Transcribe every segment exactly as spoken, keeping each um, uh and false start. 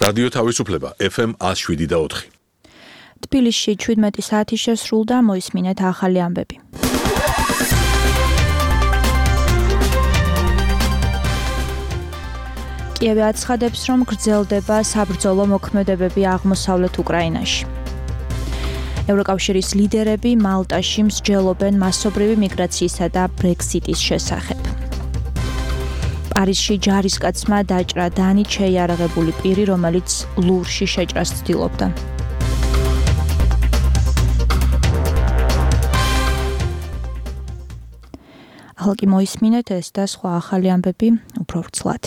რადიო თავისუფლება ეფ ემ one oh seven და four. თბილისში შვიდმეტი საათი შესრულდა, მოისმინეთ ახალი ამბები. კიევი აცხადებს, რომ გრძელდება საბრძოლო მოქმედებები აღმოსავლეთ უკრაინაში. ევროკავშირის ლიდერები მალტაში მსჯელობენ მასობრივი მიგრაციისა და ბრექსიტის შესახებ. პარიზში ჯარისკაცმა დაჭრა დანით შეიარაღებული პირი, რომელიც ლუვრში შეჭრას ცდილობდა. ახლა მოისმინეთ ეს და სხვა ახალი ამბები უფრო ვრცლად.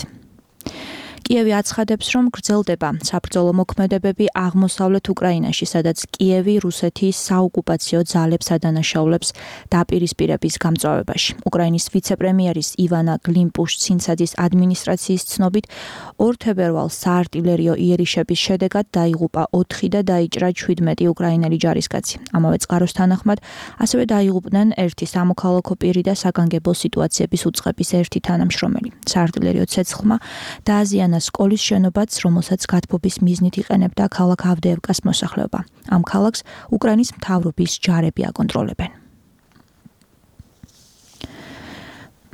კიევი აცხადებს, რომ გრძელდება საბრძოლო მოქმედებები აღმოსავლეთ უკრაინაში, სადაც კიევი რუსეთის საოკუპაციო ძალებს ადანაშაულებს დაპირისპირების გამწვავებაში. უკრაინის ვიცე-პრემიერის ივანა გლიმპუშ-ცინცაძის ადმინისტრაციის ცნობით, ორ თებერვალს საარტილერიო იერიშების შედეგად დაიღუპა ოთხი და დაიჭრა შვიდმეტი უკრაინელი ჯარისკაცი. ამავე წყაროს თანახმად, ასევე დაიღუპნენ ერთი სამოქალაქო პირი და საგანგებო სიტუაციების უწყების ერთი თანამშრომელი. საარტილერიო ცეცხლმა დააზიანა სკოლის შენობაც, რომელსაც გათბობის მიზნით იყენებდა ქალაქ ავდეევკას მოსახლეობა. ამ ქალაქს უკრაინის მთავრობის ჯარები აკონტროლებენ.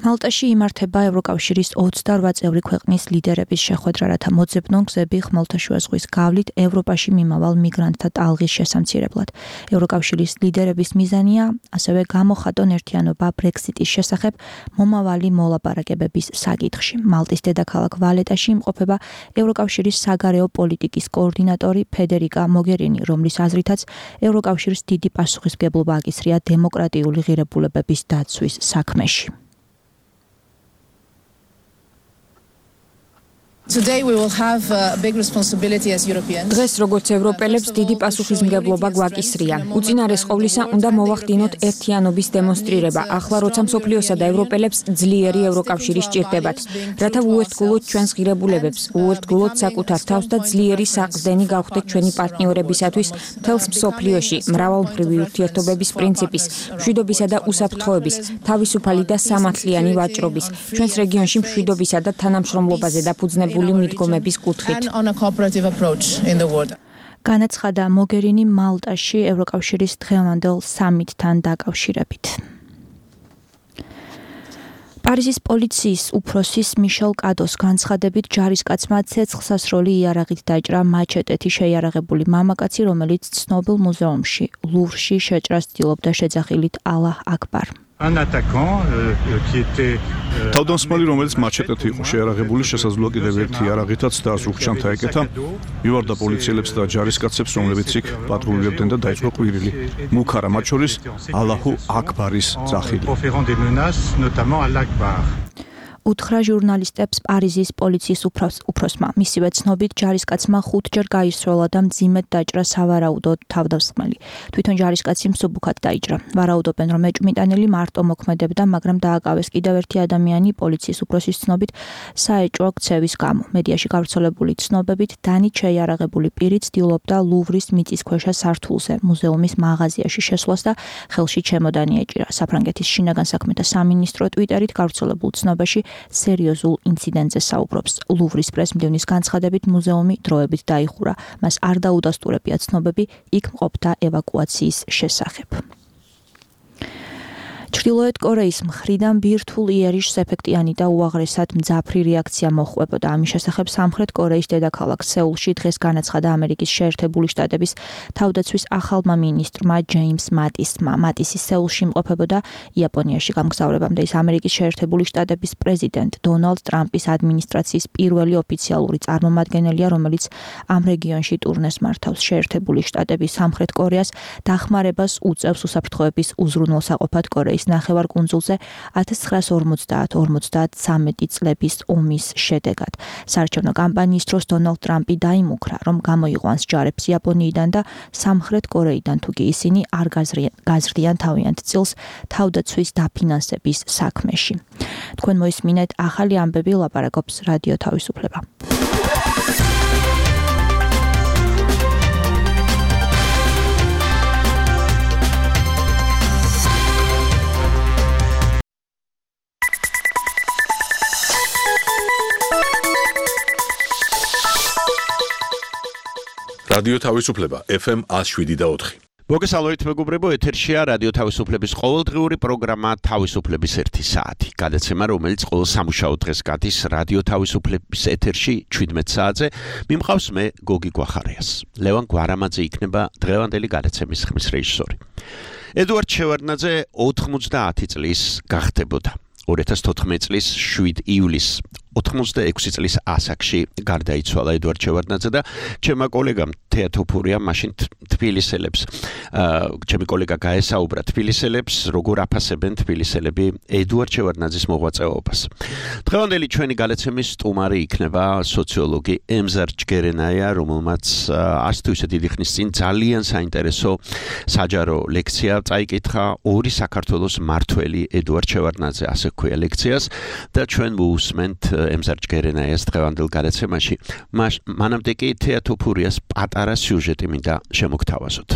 მალტაში იმართება ევროკავშირის ოცდარვა წევრი ქვეყნის ლიდერების შეხვედრა, რათა მოძებნონ გზები ხმელთაშუა ზღვის გავლით ევროპაში მიმავალ მიგრანტთა ტალღის შესამცირებლად. ევროკავშირის ლიდერების მიზანია ასევე გამოხატონ ერთიანობა ბრექსიტის შესახებ მომავალი მოლაპარაკებების საკითხში. მალტის დედაქალაქ ვალეტაში იმყოფება ევროკავშირის საგარეო პოლიტიკის კოორდინატორი ფედერიკა მოგერინი, რომლის აზრითაც ევროკავშირს დიდი პასუხისმგებლობა აკისრია დემოკრატიული ღირებულებების დაცვის საქმეში. Today we will have a big responsibility as Europeans. დღეს როგორც ევროპელებს დიდი პასუხისმგებლობა გვაკისრია. უწინარეს ყოვლისა უნდა მოვახდინოთ ერთიანობის დემონსტრირება. ახლა როცა მსოფლიოსა და ევროპელებს ძლიერი ევროკავშირი სჭირდებათ, რათა უერთგულოთ ჩვენს ღირებულებებს, უერთგულოთ საკუთარ თავს და ძლიერი საყრდენი გავხდეთ ჩვენი პარტნიორებისათვის მთელს მსოფლიოში მრავალმხრივი ურთიერთობების პრინციპის, მშვიდობისა და უსაფრთხოების, თავისუფალი და სამართლიანი ვაჭრობის, ჩვენს რეგიონში მშვიდობისა და თანამშრომლობაზე დაფუძნებული მიდგომების კუთხით. განაცხადა მოგერინი მალტაში ევროკავშირის დღევანდელ სამიტთან დაკავშირებით. პარიზის პოლიციის უფროსის მიშელ კადოს განცხადებით, ჯარისკაცმა ცეცხლსასროლი იარაღით დაჭრა მაჩეტეთი შეიარაღებული მამაკაცი, რომელიც ცნობილ მუზეუმში ლუვრში შეჭრას ცდილობდა შეძახილით ალაჰ აკბარ. თავდამსხმელი, რომელიც მაჩეტეთი იყო შეიარაღებული, შესაძლოა კიდევ ერთი იარაღითაც და ზურგჩანთა ეკეთა, მივარდა პოლიციელებს და ჯარისკაცებს, რომლებიც იქ პატრულირებდნენ და დაიწყო ყვირილი. მუქარა მათ შორის ალაჰუ აკბარის ძახილი. უთხრა ჟურნალისტებს პარიზის პოლიციის უფროსმა. მისივე ცნობით, ჯარისკაცმა ხუთჯერ გაისროლა და მძიმედ დაჭრა სავარაუდო თავდამსხმელი. თვითონ ჯარისკაცი მსუბუქად დაიჭრა. ვარაუდობენ, რომ ეჭვმიტანილი მარტო მოქმედებდა, მაგრამ დააკავეს კიდევ ერთი ადამიანი პოლიციის უფროსის ცნობით საეჭვო ქცევის გამო. მედიაში გავრცელებული ცნობებით, დანით შეიარაღებული პირი ცდილობდა ლუვრის მიწისქვეშა სართულზე მუზეუმის მაღაზიაში შესვლას და ხელში ჩემოდანი ეჭირა. საფრანგეთის შინაგან საქმეთა სამინისტრო ტვიტერით გავრცელებულ ცნობაში სერიოზულ ინციდენტზე საუბრობს. ლუვრის პრესმდივნის განცხადებით, მუზეუმი დროებით დაიხურა. მას არ დაუდასტურებია ცნობები იქ მყოფთა ევაკუაციის შესახებ. ჩრდილოეთ კორეის მხრიდან ბირთვულ იერიშს ეფექტიანი და უაღრესად მძაფრი რეაქცია მოჰყვებოდა. ამის შესახებ სამხრეთ კორეის დედაქალაქ სეულში დღეს განაცხადა ამერიკის შეერთებული შტატების თავდაცვის ახალმა მინისტრმა ჯეიმს მატისმა. მატისი სეულში იმყოფებოდა იაპონიაში გამგზავრებამდე. ის ამერიკის შეერთებული შტატების პრეზიდენტ დონალდ ტრამპის ადმინისტრაციის პირველი ოფიციალური წარმომადგენელია, რომელიც ამ რეგიონში ტურნეს მართავს. შეერთებული შტატები სამხრეთ კორეას დახმარებას უწევს უსაფრთხოების უზრუნველსაყოფად კორეის ნახევარკუნძულზე ათას ცხრაასი ორმოცდაათ ორმოცდათრამეტი წლების ომის შედეგად. საარჩევნო კამპანიის დროს დონალდ ტრამპი დაიმუქრა, რომ გამოიყვანს ჯარებს იაპონიიდან და სამხრეთ კორეიდან, თუკი ისინი არ გაზრდიან თავიანთ წილს თავდაცვის დაფინანსების საქმეში. თქვენ მოისმინეთ ახალი ამბები, ლაპარაკობს რადიო თავისუფლება. რადიო თავისუფლება ეფ ემ one oh seven point four. მოგესალმებით მეგობრებო, ეთერშია რადიო თავისუფლების ყოველდღიური პროგრამა თავისუფლების ერთი საათი. გადაცემა, რომელიც ყოველ სამუშაო დღეს გადის რადიო თავისუფლების ეთერში seventeen საათზე. მიმყავს მე გოგი გვახარიას. ლევან გვარამაძე იქნება დღევანდელი გადაცემის ხმის რეჟისორი. ედუარდ შევარდნაძე ninety წლის გახდებოდა. two thousand fourteen წლის seven ივლისს ninety-six წლის ასაკში გარდაიცვალა ედუარდ შევარდნაძე და ჩემმა კოლეგამ თეატოფურია მაშინ თბილისელებს ჩემი კოლეგა გაესაუბრა თბილისელებს როგორ აფასებენ თბილისელები ედუარდ შევარდნაძის მოღვაწეობას. დღევანდელი ჩვენი გადაცემის სტუმარი იქნება სოციოლოგი ემზარ ჯგერენაია, რომელმაც არც თუ ისე დიდი ხნის წინ ძალიან საინტერესო საჯარო ლექცია წაიკითხა ორი საქართველოს მართველი ედუარდ შევარდნაძე ასე ქვია ლექციას და ჩვენ მოусმენთ ემზარ ჯგერენაიას დღევანდელ გადაცემაში. მანამდე კი თეატოფურიას პატარა სიუჟეტი მინდა შემოგთავაზოთ.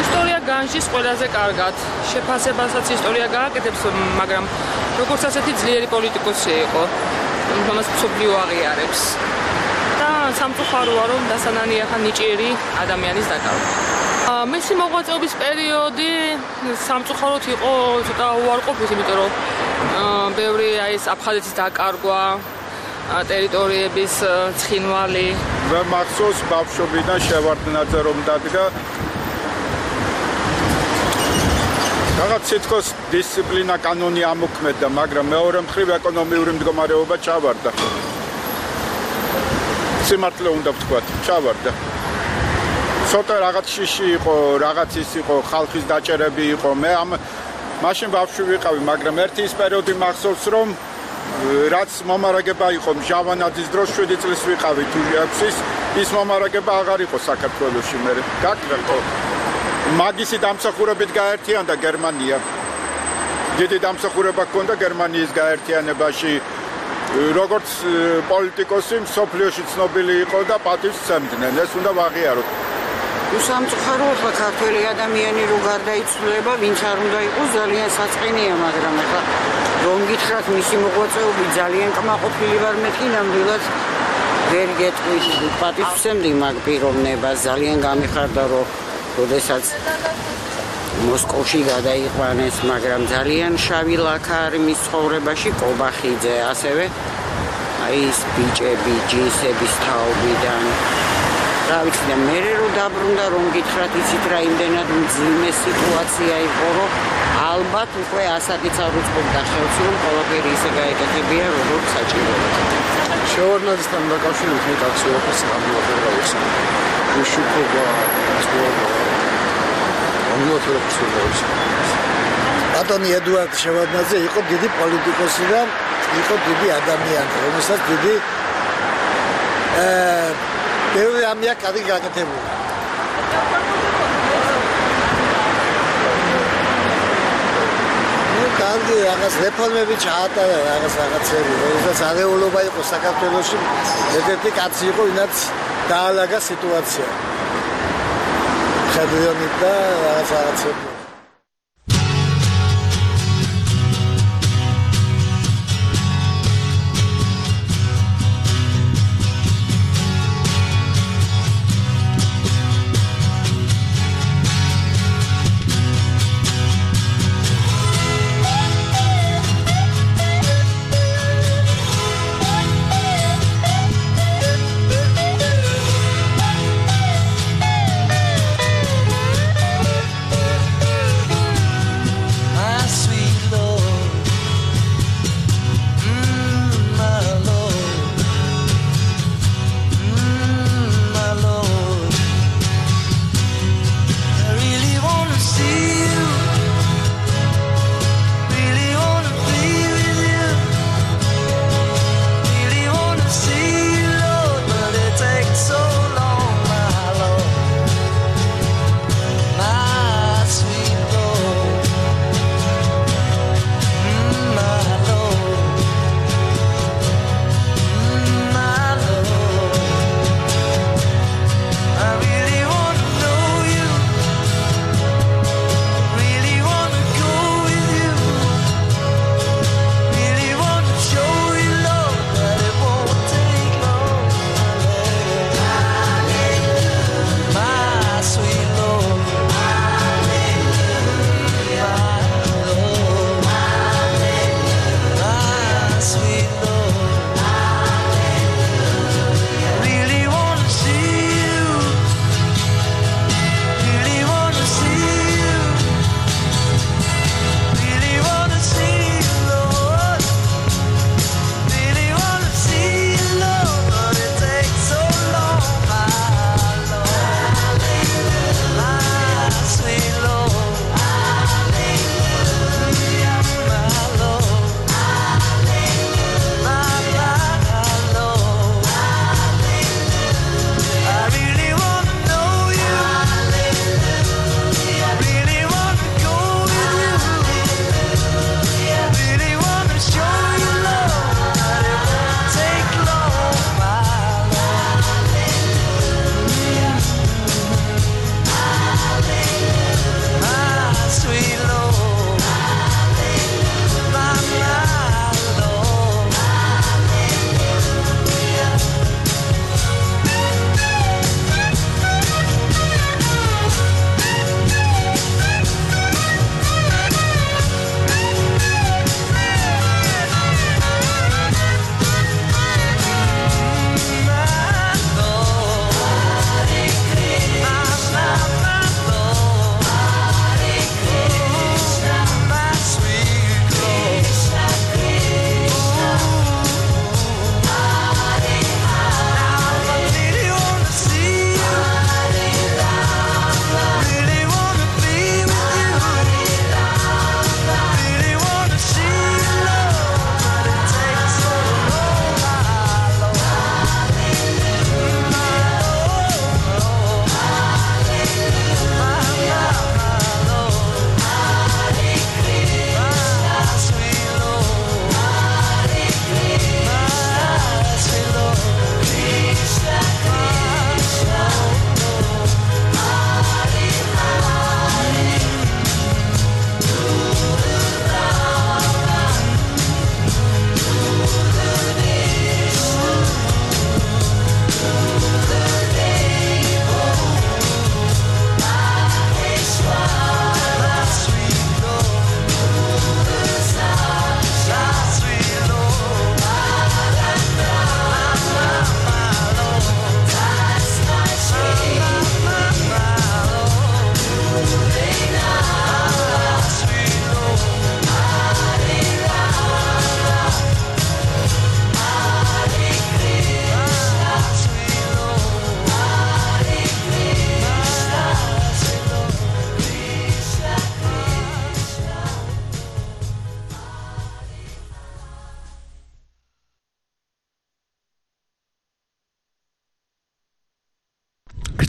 ისტორია განжის ყველაზე კარგად. შეფასებასაც ისტორია გააკეთებს, მაგრამ როგორც ასეთი ძლიერი პოლიტიკოსი იყო, რომელსაც მსოფლიო აღიარებს. და სამწუხაროა, რომ დასანანია ხან ნიჭიერი ადამიანის დაკარგვა. მისი მოღვაწეობის პერიოდი სამწუხაროდ იყო ცოტა უარყოფით, იმიტომ რომ ბევრი აი ეს აფხაზეთის დაკარგვა, ტერიტორიების ცხინვალი. და მახსოვს ბავშვობიდან შევარდნაძე რომ დადგა. რაღაც თითქოს დისციპლინა კანონი ამოქმედა, მაგრამ მეორე მხრივ ეკონომიური მდგომარეობა ჩავარდა. სიმართლე უნდა ვთქვათ, ჩავარდა. ცოტა რაღაც შიში იყო, რაღაც ის იყო, ხალხის დაჭერები იყო. მე ამ მაშინ ბავშვი ვიყავი, მაგრამ ერთი ის პერიოდი მახსოვს, რომ რაც მომარაგება იყო ჟავანაძის დროს seven წლის ვიყავი თუ six-ის, ის მომარაგება აღარ იყო საქართველოში მე. გაკრებო. მაგისი დამსახურებით გაერთიანდა გერმანია. დიდი დამსახურება ჰქონდა გერმანიის გაერთიანებაში. როგორც პოლიტიკოსი მსოფლიოში ცნობილი იყო და პატივს სცემდნენ. ეს უნდა ვაღიაროთ. უსამწუხარო ხა ქართველი ადამიანი რო გარდაიცვლება, ვინც არ უნდა იყოს ძალიან საწყენია, მაგრამ ხა რომ გითხრათ მისი მოღვაწეობი ძალიან კმაყოფილი ვარ მეთქი ნამდვილად ვერ გეტყვით პატივს ვსემდი მაგ პიროვნებას. ძალიან გამიხარდა რომ როდესაც მოსკოვში გადაიყვანეს, მაგრამ ძალიან შავი ლაქა არის მის ცხოვრებაში, კობახიძე ასევე აი ეს ბიჭები ჯინსების თაობიდან რა ვიცი და მე რო დაბრუნდა რომ გითხრათ იცით რა იმდენად მძიმე სიტუაცია იყო რომ ალბათ უკვე ასაკიც არ უწყობდა ხელს რომ ყველაფერი ისე გაეკეთებია როგორც საჭიროა. შევარდნაძესთან დაკავშირებით მე ტაქსიოფის გამოვაწერა ის უშუქობა ცხოვრება ამოთრებს ის ბატონი ედუარდ შევარდნაძე იყო დიდი პოლიტიკოსი და იყო დიდი ადამიანი, რომელსაც დიდი აა ბევრი ამია კარგი გაკეთებული. ნუ კარგი რაღაც რეფორმები ჩაატარა რაღაც რაღაცები, როდესაც არეულობა იყო საქართველოში, ერთ-ერთი კაცი იყო, ვინაც დაალაგა სიტუაცია. ხადრიონით და რაღაც რაღაცები.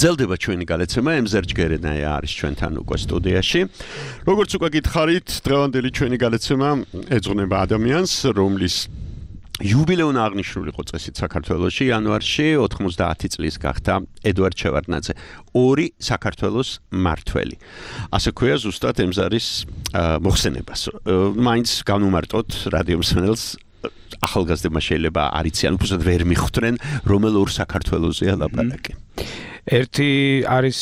გრძელდება ჩვენი გადაცემა, ემზერ ჯგერენაია არის ჩვენთან უკვე სტუდიაში. როგორც უკვე გითხარით, დღევანდელი ჩვენი გადაცემა ეძღვნება ადამიანს, რომლის იუბილეური აღნიშნული იყო წესით საქართველოში იანვარში ოთხმოცდაათი წლის გახდა ედვარდ შევარდნაძე, ორი საქართველოს მართველი. ასე ქვია ზუსტად ემზარის მოხსენებას. მაინც განუმარტოთ რადიო მსმენელს ახალგაზრდებმა შეიძლება არ იციან, უბრალოდ ვერ მიხვდნენ, რომელ ორ საქართველოსია ლაპარაკი. ერთი არის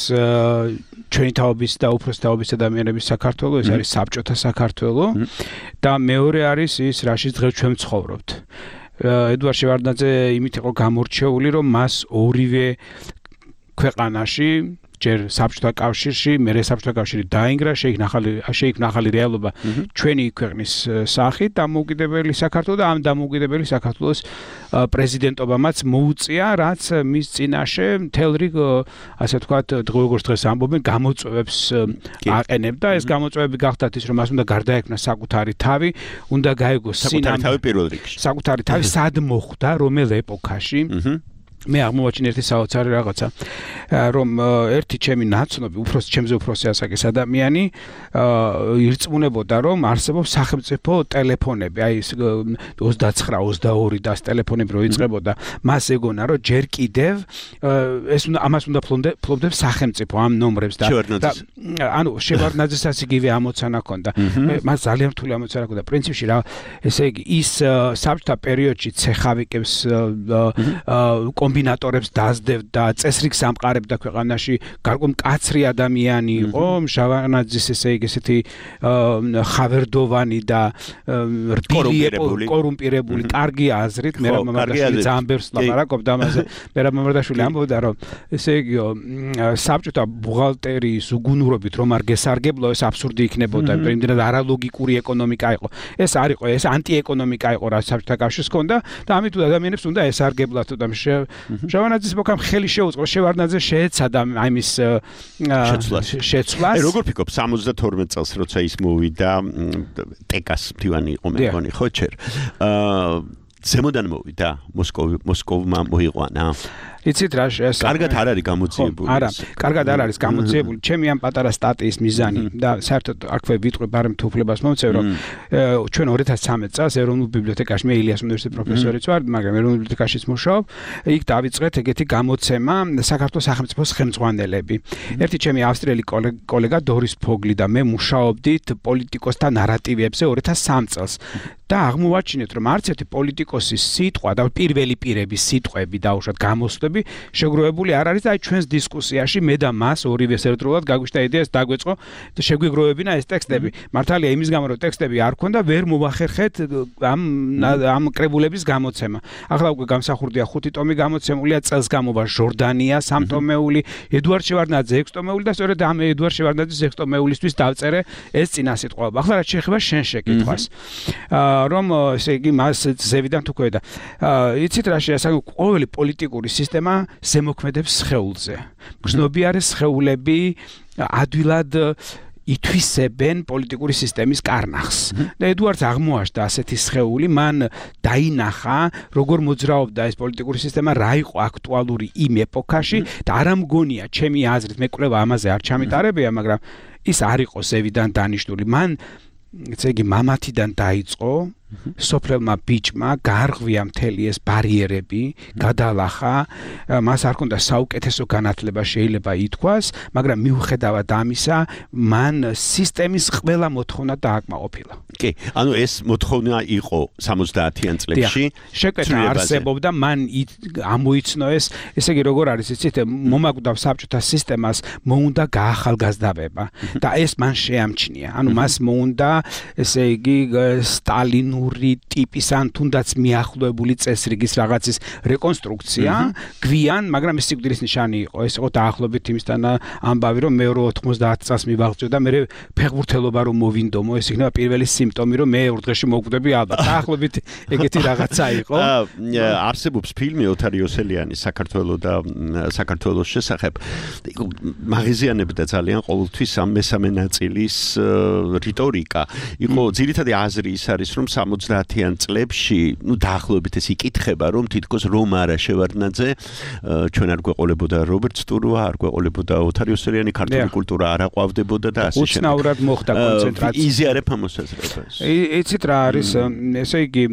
ჩვენი თაობის და უფროს თაობის ადამიანების საქართველო, ეს არის საბჭოთა საქართველო და მეორე არის ის, რაშიც დღეს ჩვენ ვცხოვრობთ. ედვარდ შევარდნაძე იმით იყო გამორჩეული, რომ მას ორივე ქვეყანაში ჯერ საბჭოთა კავშირში, მერე საბჭოთა კავშირი დაინგრა, შეიქმნა ახალი შეიქმნა ახალი რეალობა ჩვენი ქვეყნის სახით, დამოუკიდებელი საქართველო და ამ დამოუკიდებელი საქართველოს პრეზიდენტობამაც მოუწია, რაც მის წინაშე მთელ რიგ, ასე ვთქვათ, როგორც დღეს ამბობენ, გამოწვევებს აყენებდა. ეს გამოწვევები გახდათ ის, რომ მას უნდა გარდაექმნა საკუთარი თავი, უნდა გაეგოს საკუთარი თავი პირველ რიგში. საკუთარი თავი სად მოხვდა, რომელ ეპოქაში. მე აღმოვაჩინე ერთი საოცარი რაღაცა, რომ ერთი ჩემი ნაცნობი, უფროს ჩემზე უფროსი ასაკის ადამიანი ირწმუნებოდა, რომ არსებობს სახელმწიფო ტელეფონები, აი ეს ოცდაცხრა ოცდაორი და ეს ტელეფონები რო იწყებოდა, მას ეგონა, რომ ჯერ კიდევ ეს უნდა ამას უნდა ფლობდებს სახელმწიფო ამ ნომრებს და ანუ შევარდნაძესაც იგივე ამოცანა ჰქონდა. მას ძალიან რთული ამოცანა ჰქონდა. პრინციპში რა, ესე იგი ის საბჭოთა პერიოდში ცეხავიკებს კომბინატორებს დაძდევდა, წესრიგს ამყარებდა ქვეყანაში, გარკვეულ მკაცრი ადამიანი იყო, შევარდნაძის ესე იგი ესეთი ხავერდოვანი და რბილი, კორუმპირებული, კარგი აზრით, მე მამარდაშვილი ძალიან ბევრს ლაპარაკობდა ამაზე. მე მამარდაშვილი ამბობდა, რომ ესე იგი საბჭოთა ბუღალტერიის უგუნურობით რომ არ გესარგებლო, ეს აბსურდი იქნებოდა, იმდენად არალოგიკური ეკონომიკა იყო. ეს არ იყო, ეს ანტიეკონომიკა იყო, რაც საბჭოთა კავშირს ჰქონდა და ამით ადამიანებს უნდა ესარგებლათ და შევარდნაძის მოკამ ხელი შეუწყო, შევარდნაძე შეეცადა ამის შეცვლას. როგორ ფიქრობ, სამოცდათორმეტ წელს როცა ის მოვიდა, ტეკას მდივანი იყო მე მგონი, ხო ჩერ. აა ზემოდან მოვიდა, მოსკოვი მოსკოვმა მოიყვანა. იცით რა ეს კარგად არ არის გამოძიებული. არა, კარგად არ არის გამოძიებული. ჩემი ამ პატარა სტატიის მიზანი და საერთოდ აქვე ვიტყვი ბარემ თუ უფლებას მომცევ, რომ ჩვენ ორი ათას ცხრამეტ წელს ეროვნულ ბიბლიოთეკაში, მე ილიას უნივერსიტეტის პროფესორიც ვარ, მაგრამ ეროვნულ ბიბლიოთეკაშიც მუშაობ, იქ დავიწყეთ ეგეთი გამოცემა საქართველოს სახელმწიფოს ხელმძღვანელები. ერთი ჩემი ავსტრიელი კოლეგა დორის ფოგლი და მე მუშაობდით პოლიტიკოსთა ნარატივებზე ორი ათას სამი წელს. და აღმოვაჩინეთ, რომ არც ერთი პოლიტიკოსის სიტყვა და პირველი პირების სიტყვები დაუშვათ გამოსვლები შეგროვებული არ არის და აი ჩვენს დისკუსიაში მე და მას ორივეს ერთდროულად გაგვიშთა იდეას დაგვეწყო და შეგვიგროვებინა ეს ტექსტები. მართალია იმის გამო რომ ტექსტები არ ქონდა, ვერ მოვახერხეთ ამ ამ კრებულების გამოცემა. ახლა უკვე გამსახურდია ხუთი ტომი გამოცემულია, წელს გამოვა ჟორდანია სამტომეული, ედვარდ შევარდნაძე ექვსი ტომეული და სწორედ ამ ედვარდ შევარდნაძის ექვსი ტომეულისთვის დავწერე ეს წინასიტყვაობა. ახლა რაც შეეხება შენ შეკითხვას. რომ ესე იგი მას ზევიდან თუ ქვევდა. იცით რა შეასაგო, ყოველი პოლიტიკური სისტემა ზემოქმედებს სხეულზე. გრძნობიარე სხეულები ადვილად ითვისებენ პოლიტიკური სისტემის კარნახს. და ედვარდს აღმოაჩნდა ასეთი სხეული, მან დაინახა, როგორ მოძრაობდა ეს პოლიტიკური სისტემა, რა იყო აქტუალური იმ ეპოქაში და არ ამგონია ჩემი აზრით, მე კვლევა ამაზე არ ჩამიტარებია, მაგრამ ის არ იყო ზევიდან დანიშნული. მან ესე იგი მამათიდან დაიწყო, სოფლელმა ბიჭმა გაარღვია მთელი ეს ბარიერები, გადალახა, მას არ ჰქონდა საუკეთესო განათლება შეიძლება ითქვას, მაგრამ მიუხედავად ამისა, მან სისტემის ყველა მოთხოვნა დააკმაყოფილა. კი, ანუ ეს მოთხოვნა იყო სამოცდაათიან წლებში. შეკვეთა არსებობდა, მან ამოიცნო ეს, ესე იგი როგორ არის, იცით, მომაკვდავ საბჭოთა სისტემას მოუნდა გაახალგაზრდავება და ეს მან შეამჩნია. ანუ მას მოუნდა, ესე იგი, სტალინური ტიპის ან თუნდაც მიახლოებული წესრიგის რაღაცის რეკონსტრუქცია, გვიან, მაგრამ ეს სიკვდილის ნიშანი იყო. ეს იყო დაახლოებით იმისთან ამბავი, რომ მე ოთხმოცდაათი წელს მივაღწევ და მე ფეხბურთელობა რომ მოვინდომო, ეს იქნება პირველი სიმპტომი, რომ მე ორ დღეში მოვკვდები ალბათ. დაახლოებით ეგეთი რაღაცა იყო. არსებობს ფილმი ოთარ იოსელიანის საქართველოს და საქართველოს შესახებ. მაღიზიანებდა ძალიან ყოველთვის ამ მესამე ნაწილის რიტორიკა. იყო ძირითადი აზრი ის არის, რომ სამოცდაათიან წლებში, ну დაახლოებით ეს იკითხება, რომ თითქოს რომარა შევარდნაძე ჩვენ არ გვეყოლებოდა რობერტ სტურვა, არ გვეყოლებოდა ოთარ იოსელიანი, ქართული კულტურა არ აყვავდებოდა და ასე შემდეგ. უცნაურად მოხდა კონცენტრაცია. იზიარებ ამ მოსაზრებას. იცით რა არის, ესე იგი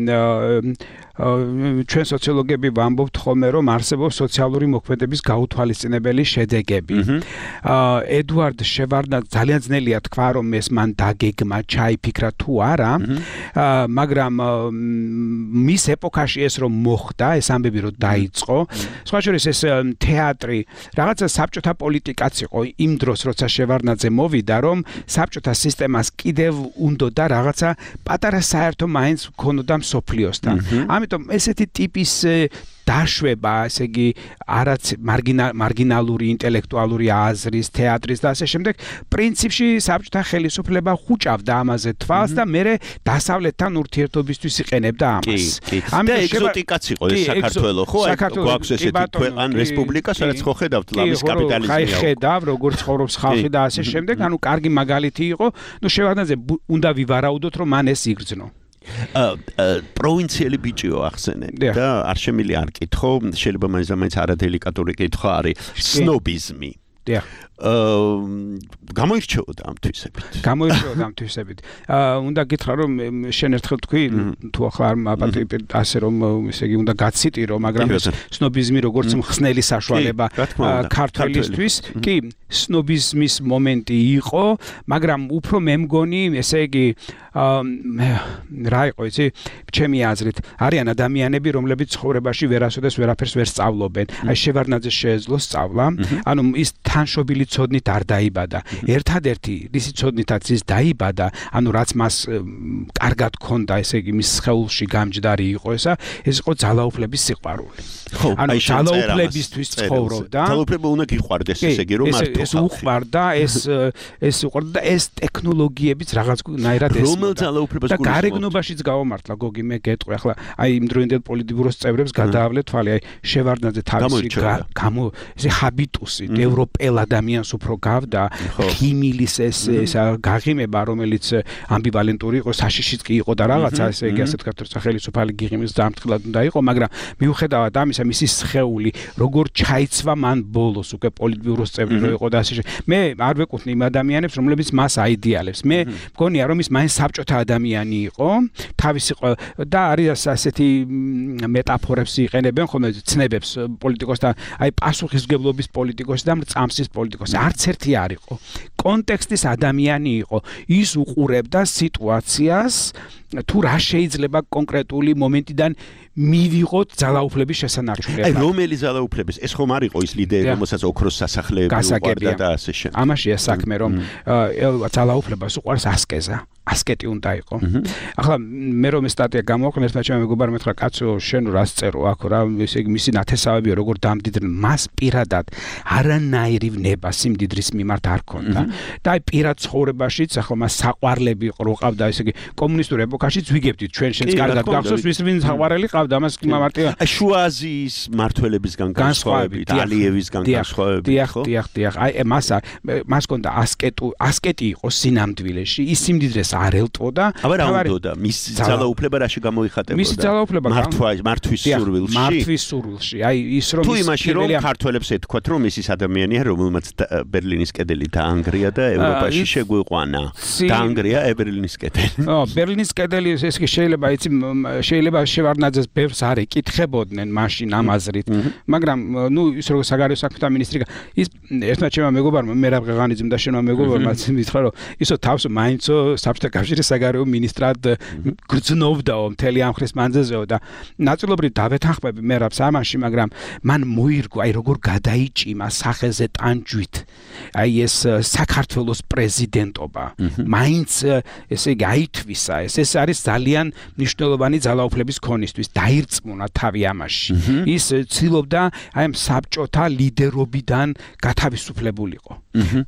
ჩვენ სოციოლოგები ვამბობთ ხოლმე, რომ არსებობს სოციალური მოქმედების გაუთვალისწინებელი შედეგები. ედუარდ შევარდნაძე ძალიან ძნელია თქვა, რომ ეს მან დაგეგმა, ჩაიფიქრა თუ არა, მაგრამ მის ეპოქაში ეს რომ მოხდა, ეს ამბები რომ დაიწყო, სხვა შორის ეს თეატრი, რაღაცა საბჭოთა პოლიტიკაც იყო იმ დროს, როცა შევარდნაძე მოვიდა, რომ საბჭოთა სისტემას კიდევ უნდოდა რაღაცა პატარა საერთო მაინც ქონოდა მსოფლიოსთან. ამიტომ ესეთი ტიპის დაშვება, ესე იგი, არაც მარგინალური ინტელექტუალური აზრის, თეატრის და ასე შემდეგ, პრინციპში საბჭოთა ხელისუფლება ხუჭავდა ამაზე თვალს და მერე დასავლეთთან ურთიერთობისთვის იყენებდა ამას. და ეგზოტიკაც იყო ეს საქართველო, ხო? გვაქვს ესეთი ქვეყანა, რესპუბლიკა, სადაც ხო ხედავთ ლამის კაპიტალიზმი. აი ხედავ, როგორ ცხოვრობს ხალხი და ასე შემდეგ, ანუ კარგი მაგალითი იყო, ნუ შევარდნაძე უნდა ვივარაუდოთ, რომ მან ეს იგრძნო. პროვინციელი ბიჭიო ახსენე და არ შემილი არ კითხო, შეიძლება მაინც მაინც არადელიკატური კითხვა არის სნობიზმი. დიახ. გამოირჩეოდა ამ თვისებით. გამოირჩეოდა ამ თვისებით. უნდა გითხრა, რომ შენ ერთხელ თქვი, თუ ახლა არ მაპატრი ასე რომ ესე იგი უნდა გაციტირო, მაგრამ ეს სნობიზმი როგორც მხსნელი საშუალება ქართველისთვის, კი, სნობიზმის მომენტი იყო, მაგრამ უფრო მე მგონი, ესე იგი რა იყო იცი, ჩემი აზრით, არიან ადამიანები, რომლებიც ცხოვრებაში ვერასოდეს ვერაფერს ვერ სწავლობენ. აი შევარდნაძე შეეძლო სწავლა, ანუ ის თანშობილი ცოდნით არ დაიბადა. ერთადერთი რისი ცოდნითაც ის დაიბადა, ანუ რაც მას კარგად ქონდა, ესე იგი მის სხეულში გამჯდარი იყო ესა, ეს იყო ძალაუფლების სიყვარული. ხო, ანუ ძალაუფლებისთვის ცხოვრობდა. ძალაუფლება უნდა გიყვარდეს, ესე იგი, რომ მარტო ეს უყვარდა, ეს ეს უყვარდა და ეს ტექნოლოგიებიც რაღაცნაირად ეს ძალაუფლებას და გარეგნობაშიც გავამართლა, გოგი, მე გეტყვი, ახლა აი იმდროინდელ პოლიტბიუროს წევრებს გადაავლე თვალი, აი შევარდნაძე თავისი გამო ესე ჰაბიტუსით ევროპელ ადამიანს უფრო გავდა, ხიმილის ეს ესა გაღიმება, რომელიც ამბივალენტური იყო, საშიშიც კი იყო და რაღაცა, ესე იგი ასეთ ქართულ სახელმწიფო გიღიმის დამთხილად უნდა იყო, მაგრამ მიუხედავად ამისა, მისი სხეული როგორ ჩაიცვა მან ბოლოს უკვე პოლიტბიუროს წევრი რო იყო და ასე შემდეგ. მე არ ვეკუთვნი იმ ადამიანებს, რომლებიც მას აიდეალებს. მე მგონია, რომ ის მაინც საბჭოთა ადამიანი იყო, თავისი და არის ასეთი მეტაფორებს იყენებენ ხოლმე ცნებებს პოლიტიკოსთან, აი პასუხისმგებლობის პოლიტიკოსი და მრწამსის პოლიტიკოსი. არც ერთი არ იყო. კონტექსტის ადამიანი იყო. ის უყურებდა სიტუაციას, თუ რა შეიძლება კონკრეტული მომენტიდან მივიღოთ ძალაუფლების შესანარჩუნებლად. აი რომელი ძალაუფლების? ეს ხომ არ იყო ის ლიდერი, რომელსაც ოქროს სასახლეები უყვარდა და ასე შემდეგ. ამაშია საქმე, რომ ძალაუფლებას უყვარს ასკეზა. ასკეტი უნდა იყო. ახლა მე რომ ეს სტატია გამოვაყენე, ერთმა ჩემმა მეგობარმა მეთქვა, კაცო, შენ რას წერო აქ რა, ესე იგი მისი ნათესავებია როგორ დამდიდნენ, მას პირადად არანაირი ნება სიმდიდრის მიმართ არ ქონდა. და აი პირად ცხოვრებაშიც ახლა მას საყვარლები ყროყავდა, ესე იგი კომუნისტურ ეპოქაშიც ვიგებდით ჩვენ შენს კარგად გახსოვს, ვის ვინ საყვარელი ყავდა, ამას მარტივად აი შუაზიის მართლებისგან განსხვავებით, ალიევისგან განსხვავებით, ხო? დიახ, დიახ, აი მას მას ქონდა ასკეტუ, ასკეტი იყო სინამდვილეში, ის სიმდიდრეს არ ელტვოდა. აბა რა უნდოდა? მის ძალაუფლება რაში გამოიხატებოდა? მისი ძალაუფლება მართვის სურვილში. მართვის სურვილში. აი ის რომ თუ იმაში რომ ქართველებს ეთქვათ, რომ ის ის ადამიანია, რომელმაც ბერლინის კედელი დაანგრია და ევროპაში შეგვიყვანა. დაანგრია ბერლინის კედელი. ო, ბერლინის კედელი ეს კი შეიძლება იცი შეიძლება შევარდნაძეს ბევრს არ ეკითხებოდნენ მაშინ ამ აზრით. მაგრამ ნუ ის როგორ საგარეო საქმეთა მინისტრი ის ერთმა ჩემმა მეგობარმა მერაბ ღაღანიძემ და შენმა მეგობარმა მითხრა რომ ისო თავს მაინცო საბჭოთა კავშირის საგარეო მინისტრად გრძნობდაო მთელი ამ ხრის მანძილზეო და ნაწილობრივ დავეთანხმები მერაბს ამაში, მაგრამ მან მოირგო აი როგორ გადაიჭიმა სახეზე ტანჯვით აი ეს საქართველოს პრეზიდენტობა. მაინც ესე იგი აითვისა, ეს ეს არის ძალიან მნიშვნელოვანი ძალაუფლების ქონისთვის, დაირწმუნა თავი ამაში. ის ცდილობდა აი ამ საბჭოთა ლიდერობიდან გათავისუფლებულიყო.